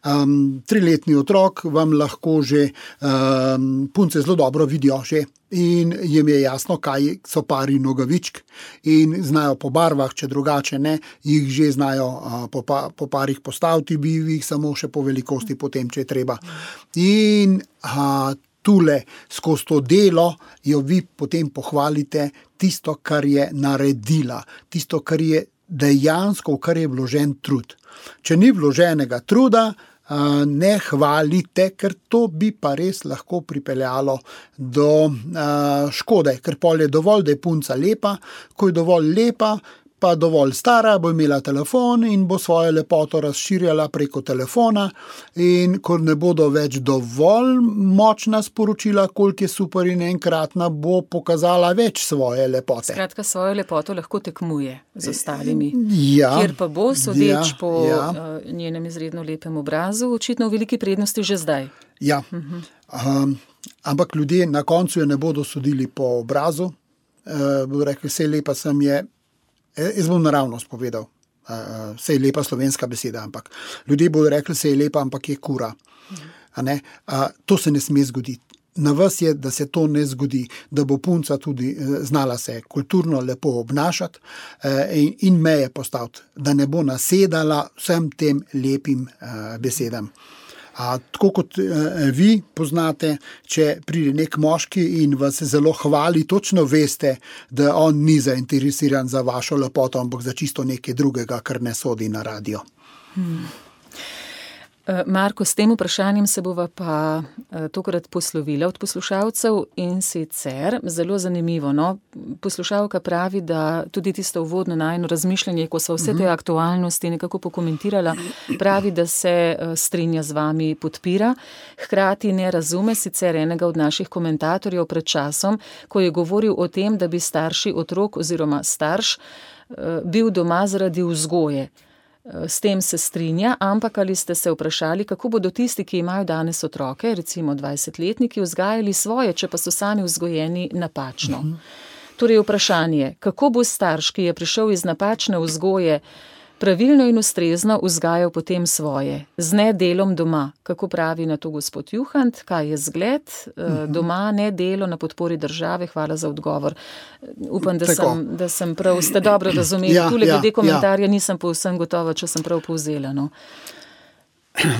Um, triletni otrok vam lahko že um, punce zelo dobro vidijo že in jim je jasno, kaj so pari nogavičk in znajo po barvah, če drugače ne, jih že znajo uh, po, pa, po parih postaviti, bi jih samo še po velikosti potem, če je treba. In uh, tule, skozi to delo, jo vi potem pohvalite tisto, kar je naredila, tisto, kar je dejansko, v kar je vložen trud. Če ni vloženega truda, ne hvalite, ker to bi pa res lahko pripeljalo do uh, škode, ker pol je dovolj, da je punca lepa, ko je dovolj lepa, pa dovolj stara, bo imela telefon in bo svojo lepoto razširjala preko telefona in ko ne bodo več dovolj močna sporočila, koliko je super in enkratna, bo pokazala več svoje lepote. Skratka, svojo lepoto lahko tekmuje z ostalimi. Ja, kjer pa bo, sodeč ja, po ja. uh, njenem izredno lepem obrazu, očitno v veliki prednosti že zdaj. Ja, uh-huh. um, ampak ljudje na koncu je ne bodo sodili po obrazu, uh, bodo rekli, vse lepa sem je. Jaz bom naravnost povedal, uh, sej lepa slovenska beseda, ampak ljudje bodo rekli, sej lepa, ampak je kura. A ne? Uh, to se ne sme zgoditi. Na vas je, da se to ne zgodi, da bo punca tudi uh, znala se kulturno lepo obnašati uh, in, in meje postaviti, da ne bo nasedala vsem tem lepim uh, besedam. A, tako kot e, vi poznate, če pride nek moški in vas zelo hvali, točno veste, da on ni zainteresiran za vašo lepoto, ampak za čisto nekaj drugega, kar ne sodi na radio. Hmm. Marko, s tem vprašanjem se bova pa tokrat poslovila od poslušalcev in sicer zelo zanimivo. No? Poslušalka pravi, da tudi tisto uvodno najino razmišljanje, ko so vse te aktualnosti nekako pokomentirala, pravi, da se strinja z vami, podpira, hkrati ne razume sicer enega od naših komentatorjev pred časom, ko je govoril o tem, da bi starši otrok oziroma starš bil doma zaradi vzgoje. S tem se strinja, ampak ali ste se vprašali, kako bodo tisti, ki imajo danes otroke, recimo dvajsetletniki, vzgajali svoje, če pa so sami vzgojeni napačno. Uh-huh. Torej vprašanje, kako bo starš, ki je prišel iz napačne vzgoje, pravilno in ustrezno vzgajal potem svoje, z nedelom doma, kako pravi na to gospod Juhant, kaj je zgled, uh-huh. doma, nedelo na podpori države, hvala za odgovor. Upam, da, sem, da sem prav, ste dobro razumeli, ja, tule glede ja, komentarja ja. Nisem povsem gotova, če sem prav povzela. No.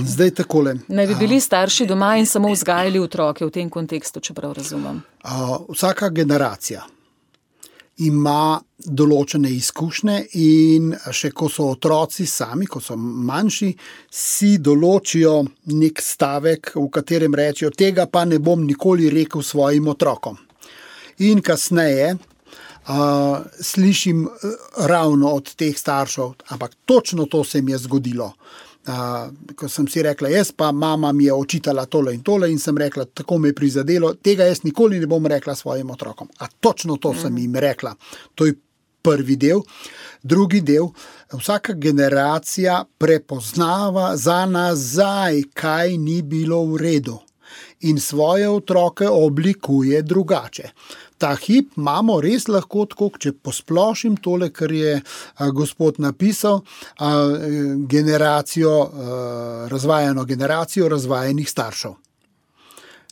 Zdaj takole. Naj bi bili starši doma in samo vzgajali otroke v tem kontekstu, če prav razumem. Uh, vsaka generacija ima določene izkušnje in še ko so otroci sami, ko so manjši, si določijo nek stavek, v katerem rečejo, tega pa ne bom nikoli rekel svojim otrokom. In kasneje uh, slišim ravno od teh staršev, ampak točno to se mi je zgodilo. Uh, ko sem si rekla, jaz pa mama mi je očitala tole in tole in sem rekla, tako me je prizadelo, tega jaz nikoli ne bom rekla svojim otrokom. A točno to sem jim rekla. To je prvi del. Drugi del, vsaka generacija prepoznava za nazaj, kaj ni bilo v redu in svoje otroke oblikuje drugače. Ta hip imamo res lahko tako, če posplošim tole, kar je a, gospod napisal, a, generacijo, a, razvajeno generacijo razvajenih staršev.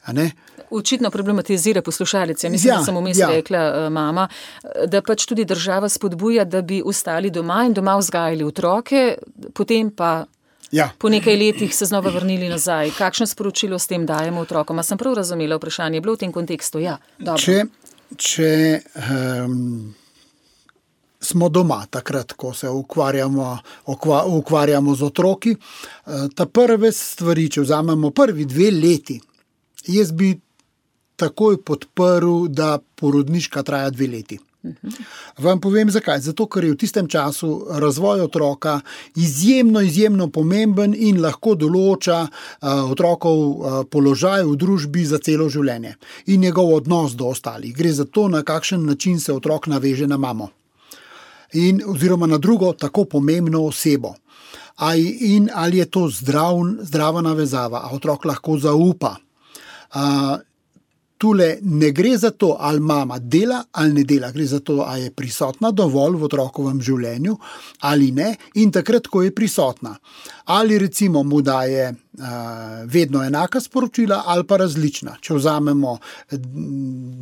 A ne? Očitno problematizira poslušalec. Ja, mislim, ja, da sem vmes ja. rekla mama, da pač tudi država spodbuja, da bi ostali doma in doma vzgajali otroke, potem pa ja. po nekaj letih se znova vrnili nazaj. Kakšno sporočilo s tem dajemo otrokom? A sem prav razumela vprašanje? Je bilo v tem kontekstu? Ja, dobro. Če Če um, smo doma, takrat, ko se ukvarjamo, ukva, ukvarjamo z otroki. Ta prve stvari, če vzamemo prvi dve leti, jaz bi takoj podprl, da porodniška traja dve leti. Vam povem zakaj. Zato, ker je v tistem času razvoj otroka izjemno, izjemno pomemben in lahko določa uh, otrokov uh, položaj v družbi za celo življenje in njegov odnos do ostalih. Gre za to, na kakšen način se otrok naveže na mamo in oziroma na drugo tako pomembno osebo. A, in ali je to zdrav, zdrava navezava, a otrok lahko zaupa. Uh, Tule ne gre za to, ali mama dela ali ne dela, gre za to, ali je prisotna dovolj v otrokovem življenju ali ne in takrat, ko je prisotna. Ali recimo mu daje uh, vedno enaka sporočila ali pa različna. Če vzamemo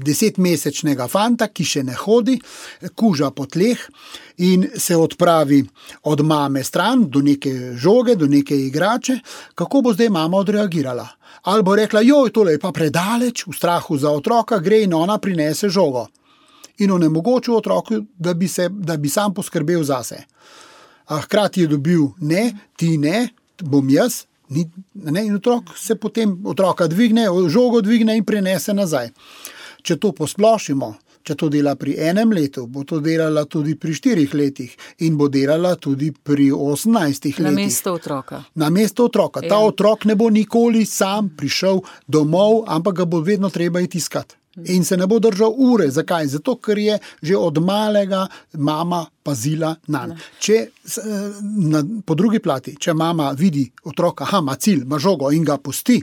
desetmesečnega fanta, ki še ne hodi, kuža po tleh in se odpravi od mame stran do neke žoge, do neke igrače, kako bo zdaj mama odreagirala? Ali bo rekla, joj, tole je pa predaleč, v strahu za otroka, gre in ona prinese žogo. In onemogočil otroku, da bi, se, da bi sam poskrbel zase. A hkrati je dobil, ne, ti ne, bom jaz, ni, ne, in otrok se potem otroka dvigne, žogo dvigne in prinese nazaj. Če to posplošimo, če to dela pri enem letu, bo to delala tudi pri štirih letih in bo delala tudi pri osemnajstih letih. Na mesto otroka. Na mesto otroka. Ta otrok ne bo nikoli sam prišel domov, ampak ga bo vedno treba iti iskat. In se ne bo držal ure. Zakaj? Zato, ker je že od malega mama pazila nanj. Če, na, po drugi plati, če mama vidi otroka, aha, ima cilj, ima žogo in ga pusti,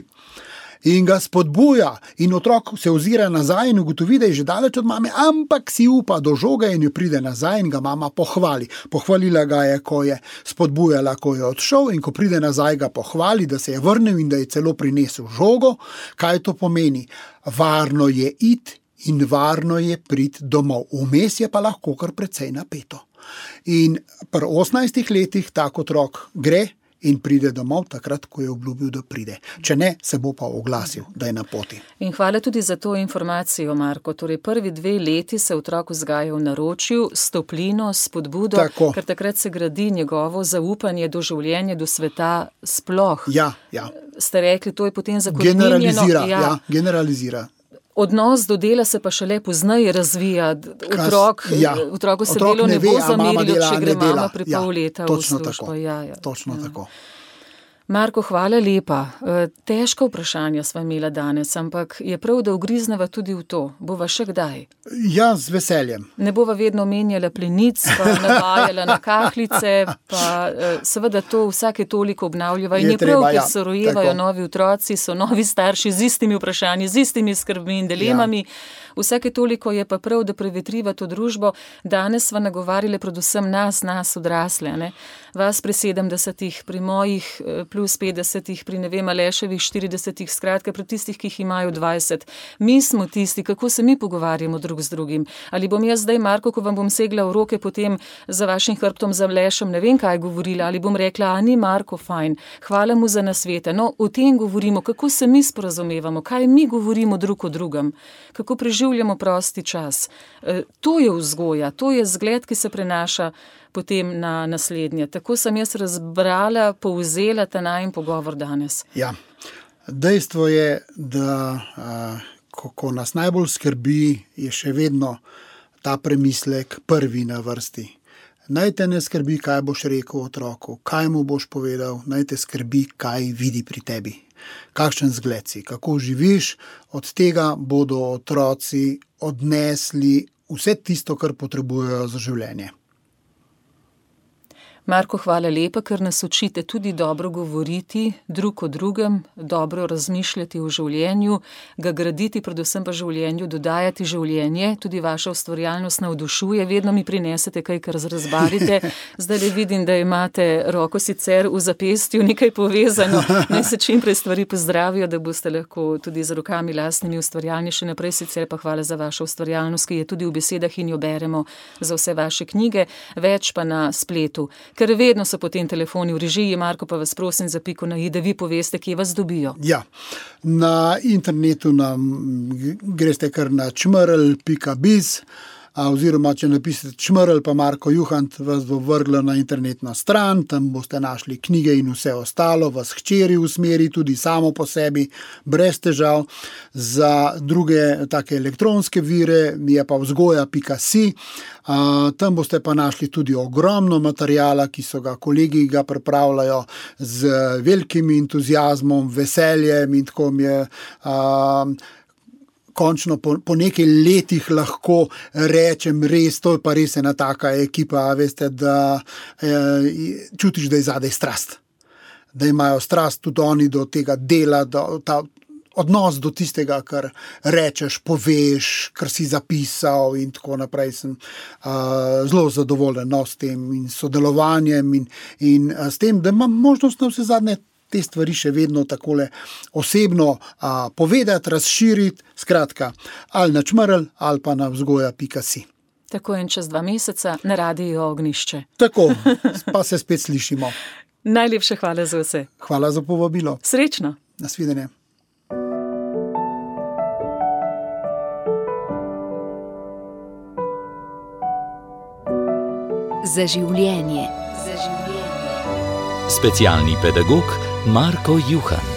in ga spodbuja in otrok se ozira nazaj in ugotovi, da je že daleč od mame, ampak si upa do žoga in jo pride nazaj in ga mama pohvali. Pohvalila ga je, ko je spodbujala, ko je odšel in ko pride nazaj, ga pohvali, da se je vrnil in da je celo prinesel žogo. Kaj to pomeni? Varno je iti in varno je priti domov. Vmes je pa lahko kar precej napeto. In pri osemnajstih letih tak otrok gre in pride domov takrat, ko je obljubil, da pride. Če ne, se bo pa oglasil, da je na poti. In hvala tudi za to informacijo, Marko. Torej, prvi dve leti se otrok vzgaja v naročju, s toplino, s spodbudo, Tako. ker takrat se gradi njegovo zaupanje do življenja, do sveta sploh. Ja, ja. Ste rekli, to je potem zakoreninjeno. Generalizira, ja. ja, generalizira. Odnos do dela se pa šele pozneje razvija. Otrok, ja. Otroku se Otrok delo ne, ne bo ve, a mama zamerilo, dela, če ne gre dela. mama pri Ja, pol leta točno v službo. tako. Ja, ja. Točno ja. tako. Marko, hvala lepa. Težka vprašanja sva imela danes, ampak je prav, da ugrizneva tudi v to. Bova še kdaj? Ja, z veseljem. Ne bova vedno menjala plenic, pa navajala na kahlice, pa seveda to vsake toliko obnavljava. In je, je prav, treba, ker ja, se rojevajo tako. novi otroci, so novi starši z istimi vprašanji, z istimi skrbmi in dilemami. Ja. Vsake toliko je pa prav, da prevetriva to družbo. Danes sva nagovarjali predvsem nas, nas odrasle. Ne? Vas pri sedemdesetih, pri mojih plus petdesetih, pri ne vem, Aleševih štiridesetih, skratka pri tistih, ki jih imajo dvajset. Mi smo tisti, kako se mi pogovarjamo drug z drugim. Ali bom jaz zdaj, Marko, ko vam bom segla v roke potem za vašim hrbtom za Alešem, ne vem kaj govorila, ali bom rekla, a ni Marko fajn, hvala mu za nasvete. No, o tem govorimo, kako se mi sporazumevamo, kaj mi govorimo drug o drugem, kako preživljamo prosti čas. E, to je vzgoja, to je zgled, ki se prenaša potem na naslednje. Tako sem jaz razbrala, povzela ta najin pogovor danes. Ja, dejstvo je, da a, ko, ko nas najbolj skrbi, je še vedno ta premislek prvi na vrsti. Naj te ne skrbi, kaj boš rekel otroku, kaj mu boš povedal, naj te skrbi, kaj vidi pri tebi. Kakšen zgled si, kako živiš, od tega bodo otroci odnesli vse tisto, kar potrebujejo za življenje. Marko, hvala lepa, ker nas učite tudi dobro govoriti drug o drugem, dobro razmišljati o življenju, ga graditi, predvsem pa življenju, dodajati življenje, tudi vaša ustvarjalnost navdušuje, vedno mi prinesete kaj, kar razbarite. Zdaj le vidim, da imate roko sicer v zapestju nekaj povezano, naj se čim prej stvari pozdravijo, da boste lahko tudi z rokami lastnimi ustvarjalni še naprej, sicer pa hvala za vašo ustvarjalnost, ki je tudi v besedah in jo beremo za vse vaše knjige, več pa na spletu. Ker vedno so potem telefoni v režiji, Marko, pa vas prosim za piko na i, da vi poveste, kje vas dobijo. Ja, na internetu nam greste kar na čmrl pika biz oziroma če napišete Čmrl pa Marko Juhant, vas bo vrglo na internetno stran, tam boste našli knjige in vse ostalo, vas hčeri usmeri tudi samo po sebi, brez težav. Za druge take elektronske vire je pa vzgoja pika si. Uh, tam boste pa našli tudi ogromno materijala, ki so ga kolegi ga pripravljajo z velikim entuziazmom, veseljem in tako mi je uh, končno po, po nekaj letih lahko rečem res, to je pa res ena taka ekipa, veste, da eh, čutiš, da je zadaj strast. Da imajo strast tudi oni do tega dela, do ta odnos do tistega, kar rečeš, poveš, kar si zapisal in tako naprej. Sem uh, zelo zadovoljen no, s tem in sodelovanjem in, in uh, s tem, da imam možnost na vse zadnje te stvari še vedno takole osebno uh, povedati, razširiti, skratka, ali na Čmrl ali pa na vzgoja pika si. Tako in čez dva meseca na Radiu Ognjišče. Tako, pa se spet slišimo. Najlepše hvala za vse. Hvala za povabilo. Srečno. Nasvidenje. Za življenje. Za življenje. Specialni pedagog Marko Juhant.